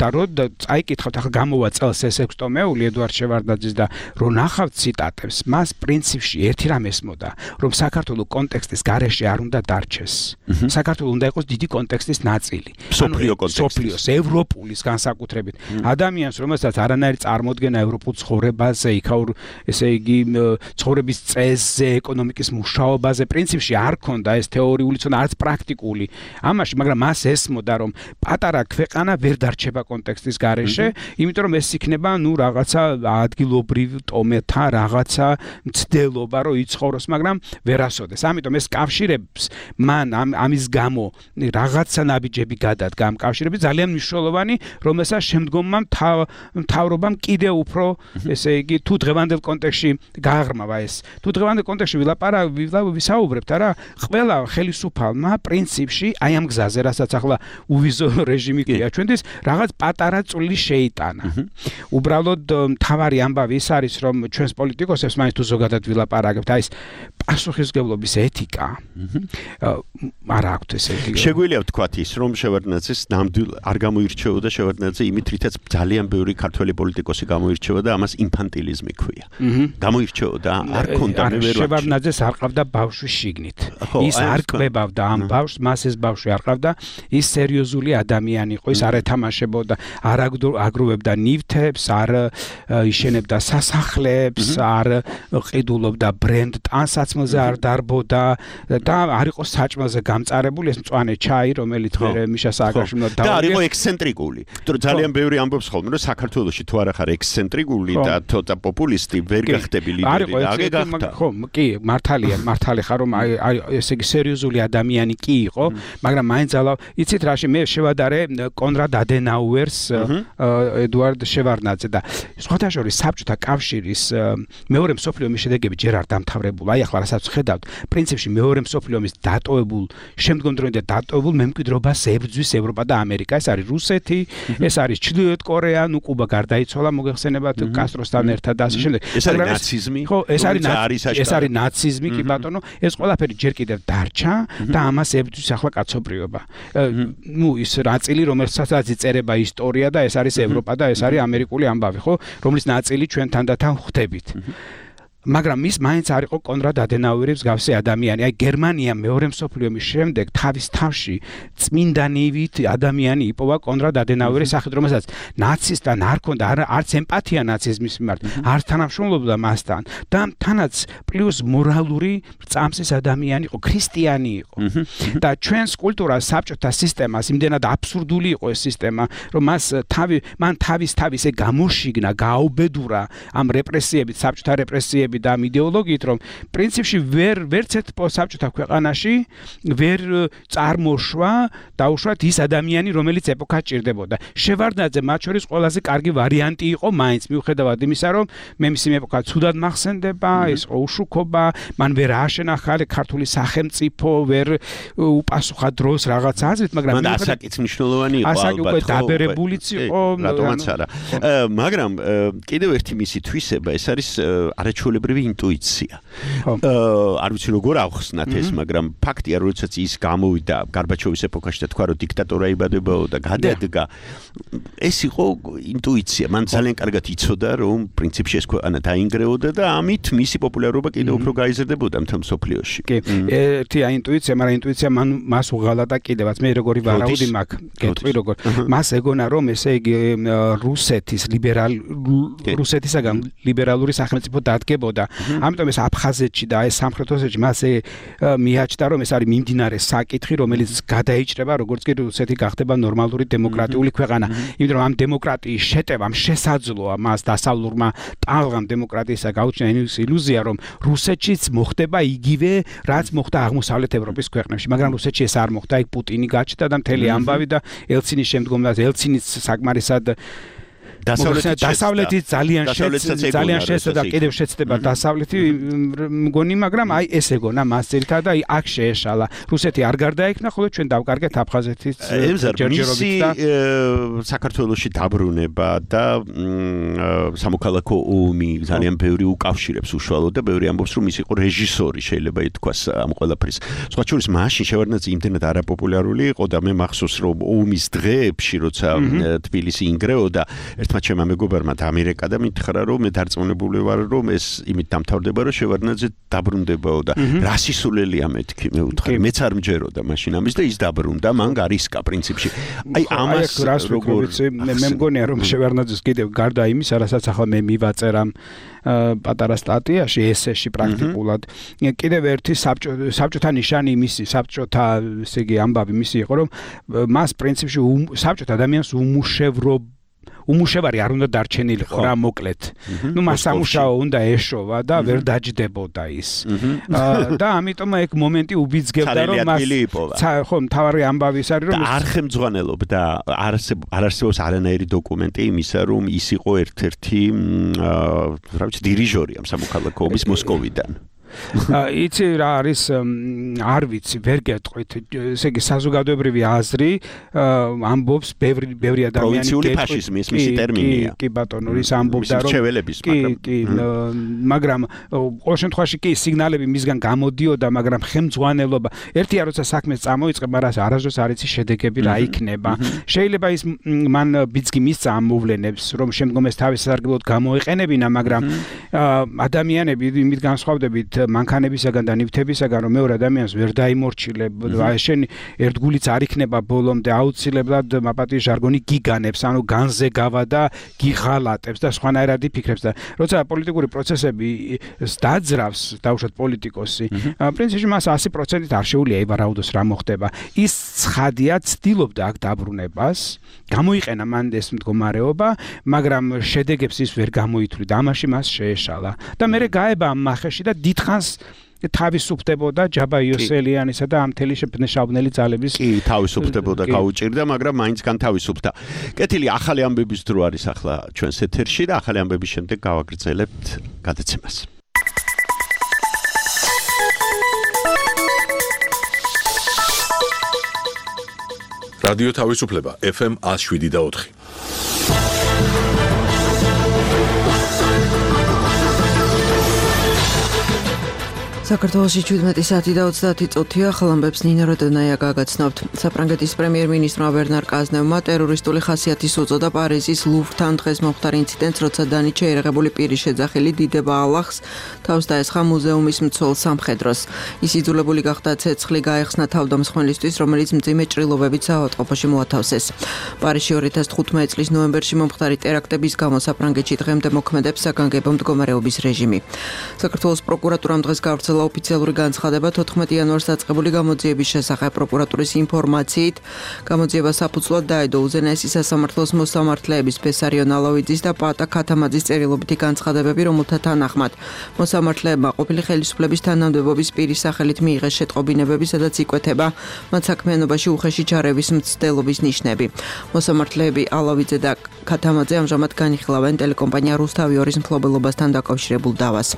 და რო წაიკითხავთ, ახლა გამოვა წელს ეს ექვსი ტომეული ედუარდ შევარდნაძე შევარდნაძის და რო ნახავთ ციტატებს, მას პრინციპში ერთი რამ ესმოდა, რომ საქართველოს კონტექსტის გარეშე არ უნდა დარჩეს. საქართველოს უნდა იყოს დიდი კონტექსტის ნაწილი. სოფლიო კონტექსტის, სოფლიოს, ევროპულის განსაკუთრებით. ადამიანს, რომელსაც არანაირი წარმოდგენა ევროპულ ცხოვრებაზე, იქაურ, ესე იგი, ცხოვრების წესზე, ეკონომიკის მუშაობაზე, პრინციპში არ ქონდა ეს თეორიული ცოდნა, არც პრაქტიკული. ამაში, მაგრამ მას ესმოდა, რომ პატარა ქვეყანა ვერ დარჩება კონტექსტის გარეშე, იმიტომ რომ ეს იქნება, ნუ რაღაცა ადგილობრივ ტომეთა, რაღაცა მცდელობა, რომ იცხოვროს, მაგრამ ვერასოდეს. ამიტომ ეს კავშირებს მან ამის გამო რაღაცა ნაბიჯები გადადგა ამ კავშირები ძალიან მნიშვნელოვანი, რომელსაც შემდგომმა მთავრობამ კიდევ უფრო, ესე იგი, თუ დღევანდელ კონტექსტში გააღრმავა ეს. თუ დღევანდელ კონტექსტში ვისაუბრებთ, არა, ყველა ხელისუფალმა პრინციპში აი ამ გზაზე, რასაც ახლა უვიზო რეჟიმი ქვია ჩვენთვის, რაღაც პატარა წვლილი შეიტანა. უბრალოდ მთავარი ამბავი ის არის, რომ ჩვენს პოლიტიკოსებს მაინც თუ ზოგადად ვილაპარაკებთ, აი ეს პასუხისმგებლობის ეთიკა არ აქვთ, ესე იგი. შეგვიძლია ვთქვათ ის, რომ შევარდნაძეს ნამდვილ არ გამოირჩეოდა შევარდნაძე იმით, რითაც ძალიან ბევრი ქართველი პოლიტიკოსი გამოირჩეოდა, ამას ინფანტილიზმი ქვია. გამოირჩეოდა, არ ქონდა მე ვერ შევარდნაძეს არ ყავდა ბავშვი შიგნით. ის არ კვებავდა ამ ბავშვს, მას ეს ბავშვი არ ყავდა, ის სერიოზული ადამიანი იყო, ის არ ეთამაშებოდა, არ აგროვებდა ნივთებს, არ იშენებდა სასახლეებს, არ ყიდულობდა ბრენდ ტანსაცმელზე არ დარბოდა და არ იყო საჭმელზე გამწარებული ეს მწვანე ჩაი, რომელიც მე მიშა სააკაშვილმა და არ იყო ექსცენტრიკული. თორე ძალიან ბევრი ამბობს ხოლმე, რომ საქართველოში თუ არ ახარ ექსცენტრიკული და ცოტა პოპულისტი ვერ გახდები ლიდერი და აგე გახდა. ხო, კი, მართალია, მართალი ხარ, რომ აი ესე იგი სერიოზული ადამიანი კი იყო, მაგრამ მაინც ალა იცით რაში მე შევადარე კონრად ადენაუერს, ედუარდ შევარდნაძე და სხვათა შორის საბჭოთა კავშირის მეორე მსოფლიო ომის შედეგები ჯერ არ დამთავრებულა. აი ახლა რასაც ხედავთ, პრინციპში მეორე მსოფლიო ომის დატოვებულ, შემდგომ დროინდელ დატოვებულ მემკვიდრეობას ებრძვის ევროპა და ამერიკა. ეს არის რუსეთი, ეს არის ჩრდილოეთ კორეა, ნუ კუბა გარდაიცვალა, მოგეხსენებათ კასტროსთან ერთად და ასე შემდეგ. ეს არის ნაციზმი. ხო, ეს არის ეს არის ნაციზმი, კი ბატონო. ეს ყველაფერი ჯერ კიდევ დარჩა და ამას ებრძვის ახლა კაცობრიობა. ნუ ის ნაწილი, რომელსაც იწერება ისტორია და ეს არის ევროპა და ეს არის ამერიკული ამბავი, ხო, რომლის ნაწილი ჩვენ თანდათან ხვდებით. მაგრამ ის მაინც არ იყო კონრად ადენაუერის გავსე ადამიანი. აი გერმანია მეორე მსოფლიო ომის შემდეგ თავის თავში წმინდანივით ადამიანი იპოვა კონრად ადენაუერის სახით, რომელსაც ნაცისტთან არ ქონდა არც ემპათია ნაციზმის მიმართ, არ თანამშრომლობდა მასთან და თანაც პლუს მორალური წამსის ადამიანი იყო, ქრისტიანი იყო. და ჩვენს კულტურას, საბჭოთა სისტემას იმდენად აბსურდული იყო ეს სისტემა, რომ მას თავი მან თავის თავის ე გამოშიგნა, გააუბედურა ამ რეპრესიებით, საბჭოთა რეპრესიებით და ამ იდეოლოგიით, რომ პრინციპში ვერ ვერც ერთ საბჭოთა ქვეყანაში ვერ წარმოშვა დაუშვათ ის ადამიანი, რომელიც ეპოქას ჭირდებოდა. შევარდნაძე მათ შორის ყველაზე კარგი ვარიანტი იყო მაინც, მიუხედავად იმისა, რომ მე მისი ეპოქა ცუდად მახსენდება, ეს უშუქობა, მან ვერ ააშენა ხალე ქართული სახელმწიფო, ვერ უპასუხა დროს რაღაც აზრით, მაგრამ მან ასაკიც მნიშვნელოვანი იყო ალბათ. ასაკი უკვე დაბერებულიც იყო, რატომაც არა. მაგრამ კიდევ ერთი მისი თვისება, ეს არის არაჩვეულებრივი ინტუიცია. არ ვიცი როგორ ავხსნათ ეს, მაგრამ ფაქტია, რომ როდესაც ის გამოვიდა გარბაჩოვის ეპოქაში და თქვა, რომ დიქტატორა იბადებაო და გადადგა, ეს იყო ინტუიცია. მან ძალიან კარგად იცოდა, რომ პრინციპში ეს ქვეყანა დაინგრეოდა და ამით მისი პოპულარობა კიდევ უფრო გაიზრდებოდა მთელ მსოფლიოში. კი, ერთი ინტუიცია, მაგრამ ინტუიცია მან მას უღალა და კიდევაც მე როგორი ვარაუდი მაქვს, გეტყვი როგორ. მას ეგონა, რომ ესე იგი რუსეთის ლიბერალ რუსეთისაგან ლიბერალური სახელმწიფო დადგებოდა. ამიტომ ეს აფხაზეთში და ეს სამხრეთ ოსეთში მას მიაჩნდა, რომ ეს არის მიმდინარე საკითხი, რომელიც გადაიჭრება, როგორც კი რუსეთი გახდება ნორმალური დემოკრატიული ქვეყანა. იმიტომ რომ ამ დემოკრატიის შეტევამ შესაძლოა მას დასავლურმა ტალღამ დემოკრატიისა გაუჩინა ის ილუზია, რომ რუსეთშიც მოხდება იგივე, რაც მოხდა აღმოსავლეთ ევროპის ქვეყნებში, მაგრამ რუსეთში ეს არ მოხდა, იქ პუტინი გაჩნდა და მთელი ამბავი და ელცინის შემდგომ და ელცინის საკმარისად დასავლეთი ძალიან ძალიან შეცდა და კიდევ შეცდება დასავლეთი მგონი, მაგრამ აი ეს ეგონა მას ძირითადად აი აქ შეეშალა. რუსეთი არ გარდაექმნა, ხოლო ჩვენ დავკარგეთ აფხაზეთის ჯერჯერობით და საქართველოში დაბრუნება და სამოქალაქო ომი ძალიან ბევრი უკავშირებს უშუალოდ და ბევრი ამბობს, რომ ის იყო რეჟისორი, შეიძლება ითქვას ამ ყველაფრის. სხვა შორის მაშინ შევარდნაძე იმდენად არაპოპულარული იყო და მე მახსოვს, რომ ომის დღეებში, როცა თბილისი ინგრეოდა, ერთმა ჩემმა მეგობარმა დამირეკა და მითხრა რომ მე დარწმუნებული ვარ რომ ეს იმით დამთავრდება რომ შევარდნაძე დაბრუნდებაო და რა სისულელია მეთქი მე ვუთხრი მეც არ მჯეროდა მაშინ ამის და ის დაბრუნდა მან გარისკა პრინციპში აი ამას როგორ მე მგონია რომ შევარდნაძეს კიდევ გარდა იმისა რასაც ახლა მე მივაწერ ამ პატარა სტატიაში ესეში პრაქტიკულად კიდევ ერთი საბჭოთა ნიშანი მისი საბჭოთა ესე იგი ამბავი მისი იყო რომ მას პრინციპში საბჭოთა ადამიანს უმუშევრო უმუშევარი არ უნდა დარჩენილიყო რა მოკლედ. ნუ მას სამუშაო უნდა ეშოვა და ვერ დაჯდებოდა ის. და ამიტომ ეგ მომენტი უბიძგებდა რომ მას ხო მთავარი ამბავი ის არის რომ არ ხემძღვანელობდა არ არსებობს არანაირი დოკუმენტი იმისა რომ ის იყო ერთ-ერთი რა ვიცი დირიჟორი ამ სამოქალაქო ომის მოსკოვიდან. იცი რა არის არ ვიცი ვერ გეტყვით ესე იგი საზოგადოებრივი აზრი ამბობს ბევრი ბევრი ადამიანი პროვინციული ფაშიზმი ეს მისი ტერმინია კი ბატონო ის ამბობდა რომ კი კი მაგრამ ყოველ შემთხვევაში კი სიგნალები მისგან გამოდიოდა მაგრამ ხელმძღვანელობა ერთია როცა საქმე წამოიწყება რას არასდროს არ იცი შედეგები რა იქნება შეიძლება ის მან ბიძგი მისცა ამ მოვლენებს რომ შემდგომ ეს თავის სარგებლოდ გამოეყენებინა მაგრამ ადამიანები იმით განსხვავდებით მანქანებისაგან და ნივთებისაგან რომ მეორე ადამიანს ვერ დაიმორჩილებ შენ ერთგულიც არ იქნება ბოლომდე აუცილებლად მაპატიის ჟარგონი გიგანებს ანუ განზე გავა და გიღალატებს და სხვანაირად იფიქრებს და როცა პოლიტიკური პროცესები დაძრავს დაუშვათ პოლიტიკოსი პრინციპში მას ათი პროცენტით არ შეუძლია ევარაუდოს რა მოხდება ის ცხადია ცდილობდა აქ დაბრუნებას გამოიყენა მან ეს მდგომარეობა მაგრამ შედეგებს ის ვერ გამოითვლიდა ამაში მას შეეშალა და მე გაება ამ მახეში და დიდ თავისუფდებოდა ჯაბა იოსელიანისა და ამ თელი შეფნეშავნელი ძალების კი თავისუფდებოდა გაუჭირდა მაგრამ მაინც განთავისუფდა. კეთილი ახალი ამბების დრო არის ახლა ჩვენს ეთერში და ახალი ამბების შემდეგ გავაგრძელებთ გადაცემას. რადიო თავისუფლება ეფ ემ ათს შვიდი და ოთხი. საქართველოში შვიდმეტი საათი და ოცდაათი წუთია ხალამბებს ნინო როდონაია გაგაცნობთ. საფრანგეთის პრემიერ-მინისტრმა ვერნარ კაზნევმა ტერორისტული ხასიათის უწოდა პარიზის ლუვრთან დღეს მომხდარ ინციდენტს, როცა დანიჩე ერაღებული პირის შეძახილი დიდება ალახს თავს დაესხა მუზეუმის მცველ სამხედროს. ის იძულებული გახდა ცეცხლი გაეხსნა თავდამსხმელისთვის, რომელიც მძიმე ჭრილობებით საავადმყოფოში მოათავსეს. პარიზში ორი ათას თხუთმეტი წლის ნოემბერში მომხდარი ტერაქტების გამო საფრანგეთში დღემდე მოქმედებს საგანგებო მდგომარეობის რეჟიმი. საქართველოს პროკურატურამ დღეს გავრცელა ოფიციალური განცხადება თოთხმეტი იანვარს დაწყებული გამოძიების შესახებ პროკურატურის ინფორმაციით გამოძიება საფუძვლად დაედო უზენაესი სასამართლოს მოსამართლეების ბესარიონ ალავიძის და პატა ქათამაძის წერილობითი განცხადებები რომელთა თანახმად მოსამართლეებმა ყოფილი ხელისუფლების თანამდებობის პირის სახელით მიიღეს შეტყობინებები სადაც იკვეთება მათ საქმიანობაში უხეში ჩარევის მცდელობის ნიშნები მოსამართლეები ალავიძე და ქათამაძე ამჟამად განიხილავენ ტელეკომპანია რუსთავიორის მფლობელობასთან დაკავშირებულ დავას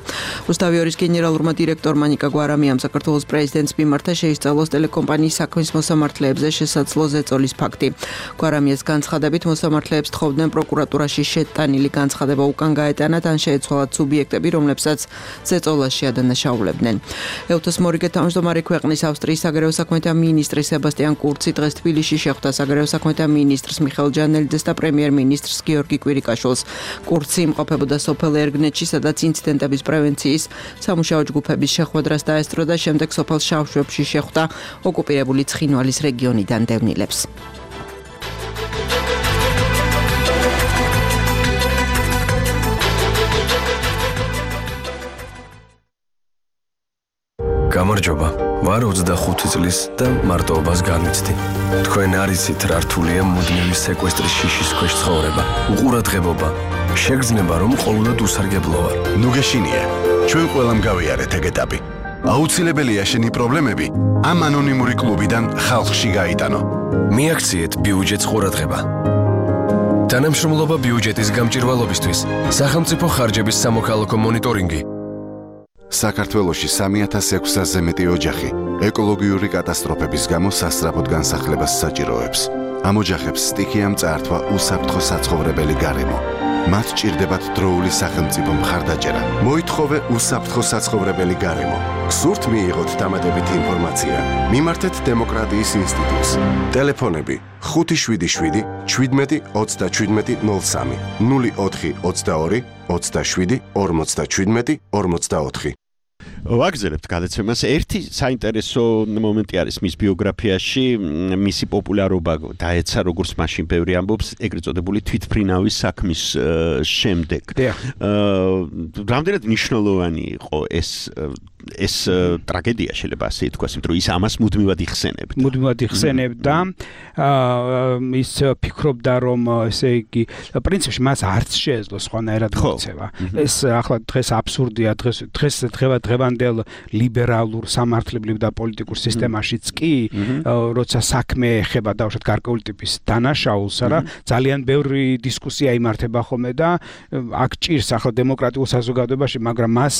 რუსთავიორის გენერალურმა დირექტორმა ნიკა გვარამიამ საქართველოს პრეზიდენტს მიმართა შეისწავლოს ტელეკომპანიის საქმის მოსამართლეებზე შესაძლო ზეწოლის ფაქტი. გვარამიას განცხადებით მოსამართლეებს თხოვდნენ პროკურატურაში შეტანილი განცხადება უკან გაეტანათ ან შეეცვალათ სუბიექტები, რომლებსაც ზეწოლაში ადანაშაულებდნენ. ეუთოს მორიგე თავმჯდომარე ქვეყნის ავსტრიის საგარეო საქმეთა მინისტრი სებასტიან კურცი დღეს თბილისში შეხვდა საგარეო საქმეთა მინისტრს მიხეილ ჯანელიძეს და პრემიერ-მინისტრს გიორგი კვირიკაშვილს. კურცი იმყოფებოდა სოფელ ერგნეთში, სადაც ინციდენტების პრევენციის სამუშაო ჯგუფების შეხვედრას დაესწრო და შემდეგ სოფელ შავშვებში შეხვდა ოკუპირებული ცხინვალის რეგიონიდან დევნილებს. გამარჯობა. ვარ ოცდახუთი წლის და მარტოობას განვიცდი. თქვენ არ იცით რა რთულია მუდმივი სეკვესტრის შიშის ქვეშ ცხოვრება. უყურადღებობა. შეგრძნება რომ ყოველდღე უსარგებლო ვარ. ნუ გეშინია. ჩვენ ყველამ გავიარეთ ეგ ეტაპი. აუცილებელია შენი პრობლემები ამ ანონიმური კლუბიდან ხალხში გაიტანო. მიაქციეთ ბიუჯეტს ყურადღება. თანამშრომლობა ბიუჯეტის გამჭირვალობისთვის. სახელმწიფო ხარჯების სამოქალაქო მონიტორინგი. საქართველოში სამი ათას ექვსასზე მეტი ოჯახი ეკოლოგიური კატასტროფების გამო სასწრაფოდ განსახლებას საჭიროებს. ამ ოჯახებს სტიქია მწართვა უსაფრთხო საცხოვრებელი გარემო. მათ ჭირდებათ დროული სახელმწიფო მხარდაჭერა. მოითხოვე უსაფრთხო საცხოვრებელი გარემო. გსურთ მიიღოთ დამატებითი ინფორმაცია. მიმართეთ დემოკრატიის ინსტიტუტს. ტელეფონები ხუთი შვიდი შვიდი შვიდმეტი ოცდაშვიდმეტი ნოლ სამი ნული ოთხი ოცდაორი ოცდაშვიდი ორმოცდაშვიდმეტი ორმოცდაოთხი. ვაგზელებთ გადაცემას. ერთი საინტერესო მომენტი არის მის ბიოგრაფიაში, მისი პოპულარობა დაეცა როგორც მაშინ ბევრი ამბობს ეგრეთ წოდებული თვითმფრინავის საქმის შემდეგ. რამდენად მნიშვნელოვანი იყო ეს ეს ტრაგედია შეიძლება ასე ითქვას, იმიტომ რომ ის ამას მუდმივად იხსენებდა. მუდმივად იხსენებდა. ის ფიქრობდა რომ ესე იგი პრინციპში მას არც შეეძლო სხვანაირად მოქცევა. ეს ახლა დღეს აბსურდია, დღეს დღეს დღევანდელ ლიბერალურ სამართლებრივ და პოლიტიკურ სისტემაშიც კი, როცა საქმე ეხება დავუშვათ გარკვეული ტიპის დანაშაულს, არა, ძალიან ბევრი დისკუსია იმართება ხოლმე და აქ ჭირს ახლა დემოკრატიულ საზოგადოებაში, მაგრამ მას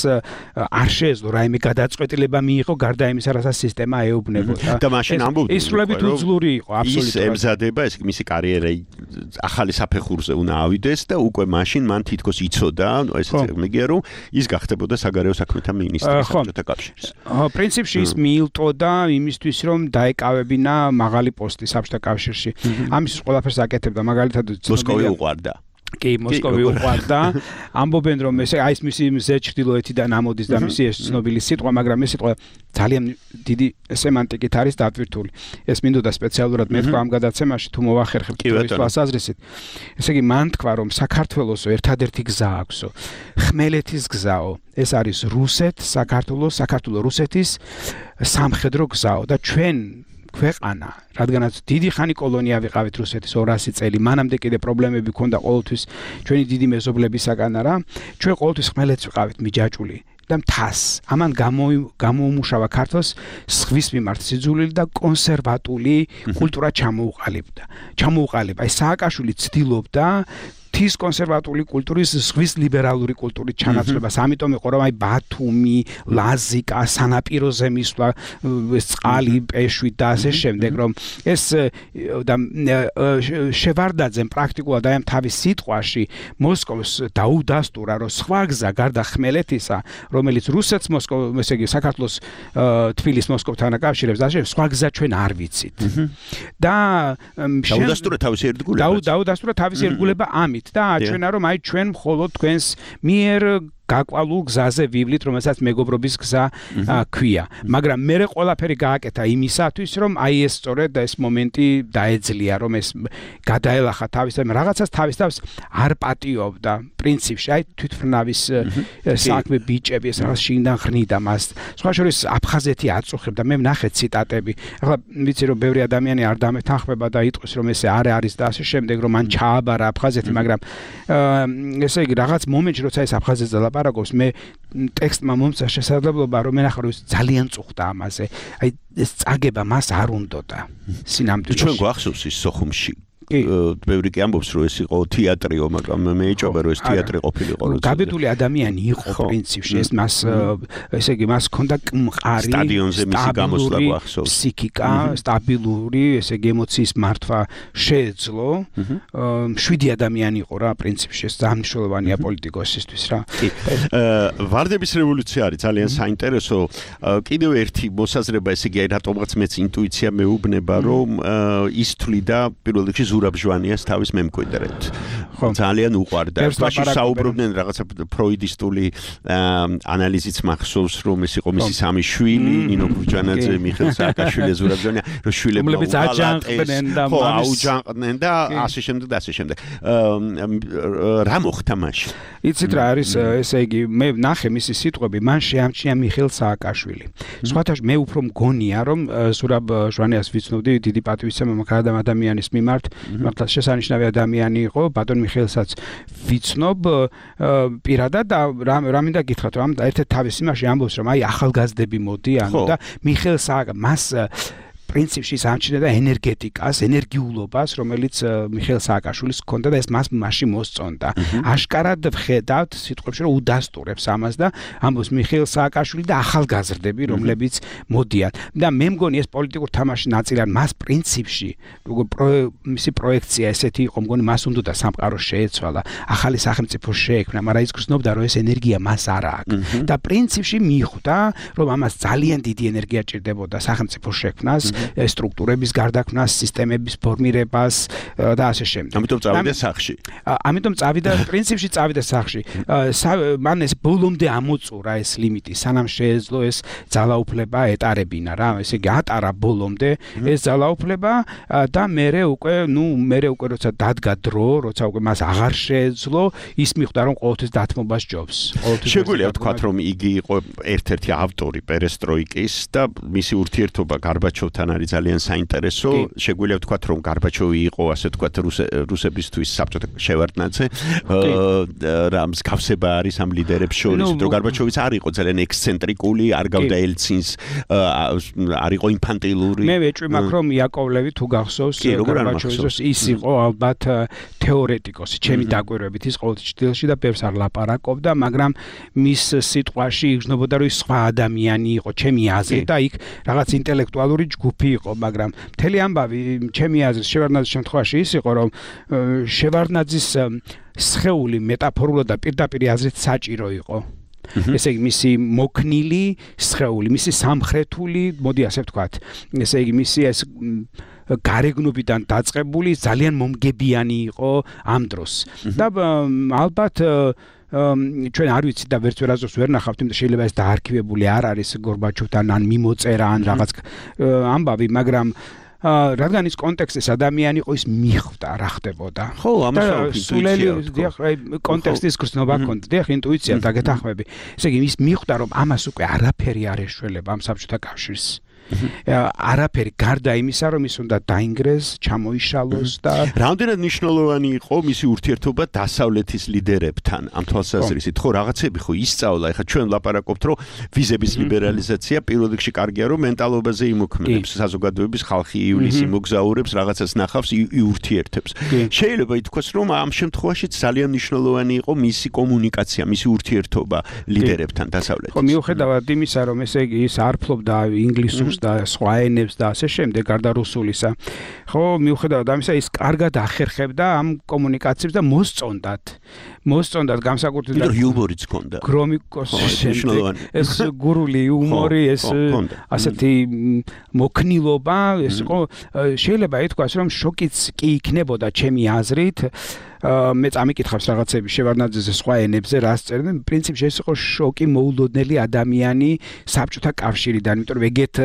არ შეეძლო რაიმე გადაწყვეტილება მიიღო გარდა იმისა, რასაც სისტემა ეუბნებოდა. და მაშინ ამბობდა, ის სრულებით უძლური იყო, აბსოლუტურად. ის ემზადება, ეს მისი კარიერა ახალი საფეხურზე უნდა ავიდეს და უკვე მაშინ მან თითქოს იცოდა, ანუ ესეც მეგია რომ ის გახდებოდა საგარეო საქმეთა მინისტრი საბჭოთა კავშირის. პრინციპში ის მიილტოდა იმისთვის რომ დაეკავებინა მაღალი პოსტი საბჭოთა კავშირში. ამის ყველაფერს აკეთებდა, მაგალითად მოსკოვი უყვარდა. კი, მოსკოვი უყვარდა. ამბობენ რომ ეს აი ეს მისი მზე ჩრდილოეთიდან ამოდის და მისი ეს ცნობილი სიტყვა, მაგრამ ეს სიტყვა ძალიან დიდი სემანტიკით არის დატვირთული. ეს მინდოდა სპეციალურად მეთქვა ამ გადაცემაში თუ მოვახერხებთ ის თვალსაზრისით. ესე იგი მან თქვა რომ საქართველოს ერთადერთი გზა აქვსო. ხმელეთის გზაო. ეს არის რუსეთ, საქართველოს, საქართველოს რუსეთის სამხედრო გზაო და ჩვენ ქვეყანა, რადგანაც დიდი ხანი კოლონია ვიყავით რუსეთის ორასი წელი, მანამდე კიდე პრობლემები ქონდა ყოველთვის ჩვენი დიდი მეზობლებისაგან არა, ჩვენ ყოველთვის ხმელეთს ვიყავით მიჯაჭული და მთას. ამან გამოუმუშავა ქართოს ზღვის მიმართ სიძულვილი და კონსერვატული კულტურა ჩამოუყალიბდა. ჩამოუყალიბა. ეს სააკაშვილი ცდილობდა თის კონსერვატული კულტურის ზღვის ლიბერალური კულტურის ჩანაცვლებას. ამიტომ იყო რომ აი ბათუმი, ლაზიკა, სანაპიროზე მისვლა, წყალი, პეშვი და ასე შემდეგ, რომ ეს და შევარდაძემ პრაქტიკულად აი ამ თავის სიტყვაში მოსკოვს დაუდასტურა, რომ სხვა გზა გარდა ხმელეთისა, რომელიც რუსეთს მოსკოვ, ესე იგი საქართველოს თბილისს მოსკოვთან აკავშირებს და ასე სხვა გზა ჩვენ არ ვიცით. და დაუდასტურა თავისი ერთგულება. დაუდასტურა თავისი ერთგულება ამით და აჩვენა რომ აი ჩვენ მხოლოდ თქვენს მიერ გაკვალულ გზაზე ვივლით, რომელსაც მეგობრობის გზა ქვია. მაგრამ მე ყველაფერი გააკეთა იმისათვის, რომ აი ეს სწორედ ეს მომენტი დაეძლია, რომ ეს გადაელახა თავის და რაღაცას თავის თავს არ პატიობდა. პრინციპში აი თვითმფრინავის საქმე ბიჭები ეს რაღაც შინიდან ხრნიდა მას. სხვა შორის აფხაზეთი აწუხებდა. მე ვნახე ციტატები. ახლა ვიცი რომ ბევრი ადამიანი არ დამეთანხმება და იტყვის რომ ესე არ არის და ასე შემდეგ, რომ მან ჩააბარა აფხაზეთი, მაგრამ ესე იგი რაღაც მომენტში როცა ეს აფხაზეთზე ლაპარაკობს, მე ტექსტმა მომცა შესაძლებლობა რომ მე ნახე რომ ძალიან წუხდა ამაზე. აი ეს წაგება მას არ უნდოდა. სინამდვილეში ჩვენ გვახსოვს ის სოხუმში ბევრი კი ამბობს რომ ეს იყო თეატრიო, მაგრამ მე ეჭობა რომ ეს თეატრი ყოფილიყო. გაბედული ადამიანი იყო პრინციპში, ეს მას ესე იგი მას ჰქონდა მყარი სტადიონზე მისი გამოსვლა გვახსოვს. ფსიქიკა, სტაბილური, ესე იგი ემოციის მართვა შეეძლო. შვიდი ადამიანი იყო რა პრინციპში, ეს ძალიან მნიშვნელოვანია პოლიტიკოსისთვის რა. ვარდების რევოლუცია არის ძალიან საინტერესო. კიდევ ერთი მოსაზრება, ესე იგი რატომღაც მეც ინტუიცია მეუბნება რომ ის თვლიდა პირველ რიგში ზურაბ ჟვანიას თავის მემკვიდრედ. ძალიან უყვარდა. მაშინ საუბრობდნენ რაღაცა ფროიდისტული ანალიზიც მახსოვს, რომ ეს იყო მისი სამი შვილი, ნინო გურჯანაძე, მიხეილ სააკაშვილი, ზურაბ ჟვანია, რომ შვილებმა რომლებიც აჯანყდნენ და აუჯანყდნენ და ასე შემდეგ და ასე შემდეგ. რა მოხდა მაშინ? იცით რა არის, ესე იგი, მე ვნახე მისი სიტყვები, მან შეამჩნია მიხეილ სააკაშვილი. სხვათა მე უფრო მგონია, რომ ზურაბ ჟვანიას ვიცნობდი დიდი პატივისცემა მქარდა ადამიანის მიმართ, მართლა შესანიშნავი ადამიანი იყო, ბატონ მიხეილსაც ვიცნობ პირადად და რა მინდა გითხრათ, რომ ერთ-ერთ თავის იმაში ამბობს, რომ აი ახალგაზრდები მოდიან და მიხეილ სააკა მას პრინციპში სამჩნევდა და ენერგეტიკას, ენერგიულობას, რომელიც მიხეილ სააკაშვილის ჰქონდა და ეს მას მასში მოსწონდა. აშკარად ვხედავთ სიტყვებში, რომ უდასტურებს ამას და ამბობს მიხეილ სააკაშვილი და ახალგაზრდები, რომლებიც მოდიან. და მე მგონი ეს პოლიტიკურ თამაში ნაწილად მას პრინციპში, როგორ მისი პროექცია ესეთი იყო, მგონი მას უნდა და სამყარო შეეცვალა, ახალი სახელმწიფო შეექმნა, მაგრამ ის გრძნობდა, რომ ეს ენერგია მას არ აქვს. და პრინციპში მიხვდა, რომ ამას ძალიან დიდი ენერგია ჭირდებოდა სახელმწიფო შექმნას, სტრუქტურების გარდაქმნას, სისტემების ფორმირებას და ასე შემდეგ. ამიტომ წავიდა სახში. ამიტომ წავიდა პრინციპში წავიდა სახში. მან ეს ბოლომდე ამოწურა ეს ლიმიტი, სანამ შეეძლო ეს ძალაუფლება ეტარებინა რა, ესე იგი ატარა ბოლომდე ეს ძალაუფლება და მერე უკვე, ნუ მერე უკვე როცა დადგა დრო, როცა უკვე მას აღარ შეეძლო, ის მიხვდა რომ ყოველთვის დათმობას ჯობს. შეგვიძლია ვთქვათ, რომ იგი იყო ერთ-ერთი ავტორი პერესტროიკის და მისი ურთიერთობა გარბაჩოვთან არის ძალიან საინტერესო. შეგვიძლია ვთქვათ, რომ გარბაჩოვი იყო, ასე ვთქვათ, რუსებისთვის საბჭოთა შევარდნაძე. რა მსგავსება არის ამ ლიდერებს შორის, რომ გარბაჩოვიც არ იყო ძალიან ექსცენტრიკული, არ გავდა ელცინს, არ იყო ინფანტილური. მე ვეჭვი მაქვს, რომ იაკოვლევი თუ გახსოვს, გარბაჩოვის ის იყო ალბათ თეორეტიკოსი, ჩემი დაკვირვებით ის ყოველთვის ჭდილში და ბევრს არ ლაპარაკობდა, მაგრამ მის სიტყვაში იგრძნობოდა, რომ ის სხვა ადამიანი იყო, ჩემი აზრით და იქ რაღაც ინტელექტუალური ჯგუფი იყო, მაგრამ მთელი ამბავი ჩემი აზრით შევარდნაძის შემთხვევაში ის იყო, რომ შევარდნაძის სხეული მეტაფორულად და პირდაპირ აზრით საჭირო იყო. ესე იგი მისი მოქნილი სხეული, მისი სამხრეთული, მოდი ასე ვთქვათ, ესე იგი მისი ეს გარეგნობიდან დაწყებული ძალიან მომგებიანი იყო ამ დროს. და ალბათ ჩვენ არ ვიცით და ვერც ვერაზოს ვერ ნახავთ, იმიტომ შეიძლება ეს დაარქივებული არ არის გორბაჩოვთან ან მიმოწერა ან რაღაც ამბავი, მაგრამ რადგან ის კონტექსტის ადამიანი იყო, ის მიხვდა რა ხდებოდა. ხო, ამას სულელი კონტექსტის გრძნობა ჰქონდა, დიახ, ინტუიცია დაგეთანხმები. ესე იგი ის მიხვდა, რომ ამას უკვე არაფერი არ ეშველება ამ საბჭოთა კავშირს. არაფერი გარდა იმისა, რომ ის უნდა დაინგრეს, ჩამოიშალოს და რამდენად მნიშვნელოვანი იყო მისი ურთიერთობა დასავლეთის ლიდერებთან ამ თვალსაზრისით, ხო, რაღაცები ხო ისწავლა, ეხლა ჩვენ ლაპარაკობთ, რომ ვიზების ლიბერალიზაცია პირველ რიგში კარგია, რომ მენტალობაზე იმოქმედებს, საზოგადოების ხალხი იulis იმოგზაურებს, რაღაცას ნახავს, იურთიერთებს. შეიძლება ითქვას, რომ ამ შემთხვევაში ძალიან მნიშვნელოვანი იყო მისი კომუნიკაცია, მისი ურთიერთობა ლიდერებთან დასავლეთის. ხო, მიუხედავად იმისა, რომ ესე იგი ის არ ფლობდა ინგლისურს და სხვა ენებს და ასე შემდეგ, გარდა რუსულისა. ხო, მიუხედავად ამისა, ის კარგად ახერხებდა ამ კომუნიკაციებს და მოსწონდათ. მოსწონდათ განსაკუთრებით და იუმორიც ჰქონდა. გრომიკოს შემდეგ ეს გურული იუმორი, ეს ასეთი მოქნილობა, ეს იყო შეიძლება ითქვას, რომ შოკიც კი იქნებოდა ჩემი აზრით. მე წამიკითხავს რაღაცები შევარდნაძეზე სხვა ენებზე, რას წერდნენ, პრინციპში ეს იყო შოკი მოულოდნელი ადამიანი საბჭოთა კავშირიდან, იმიტომ რომ ეგეთ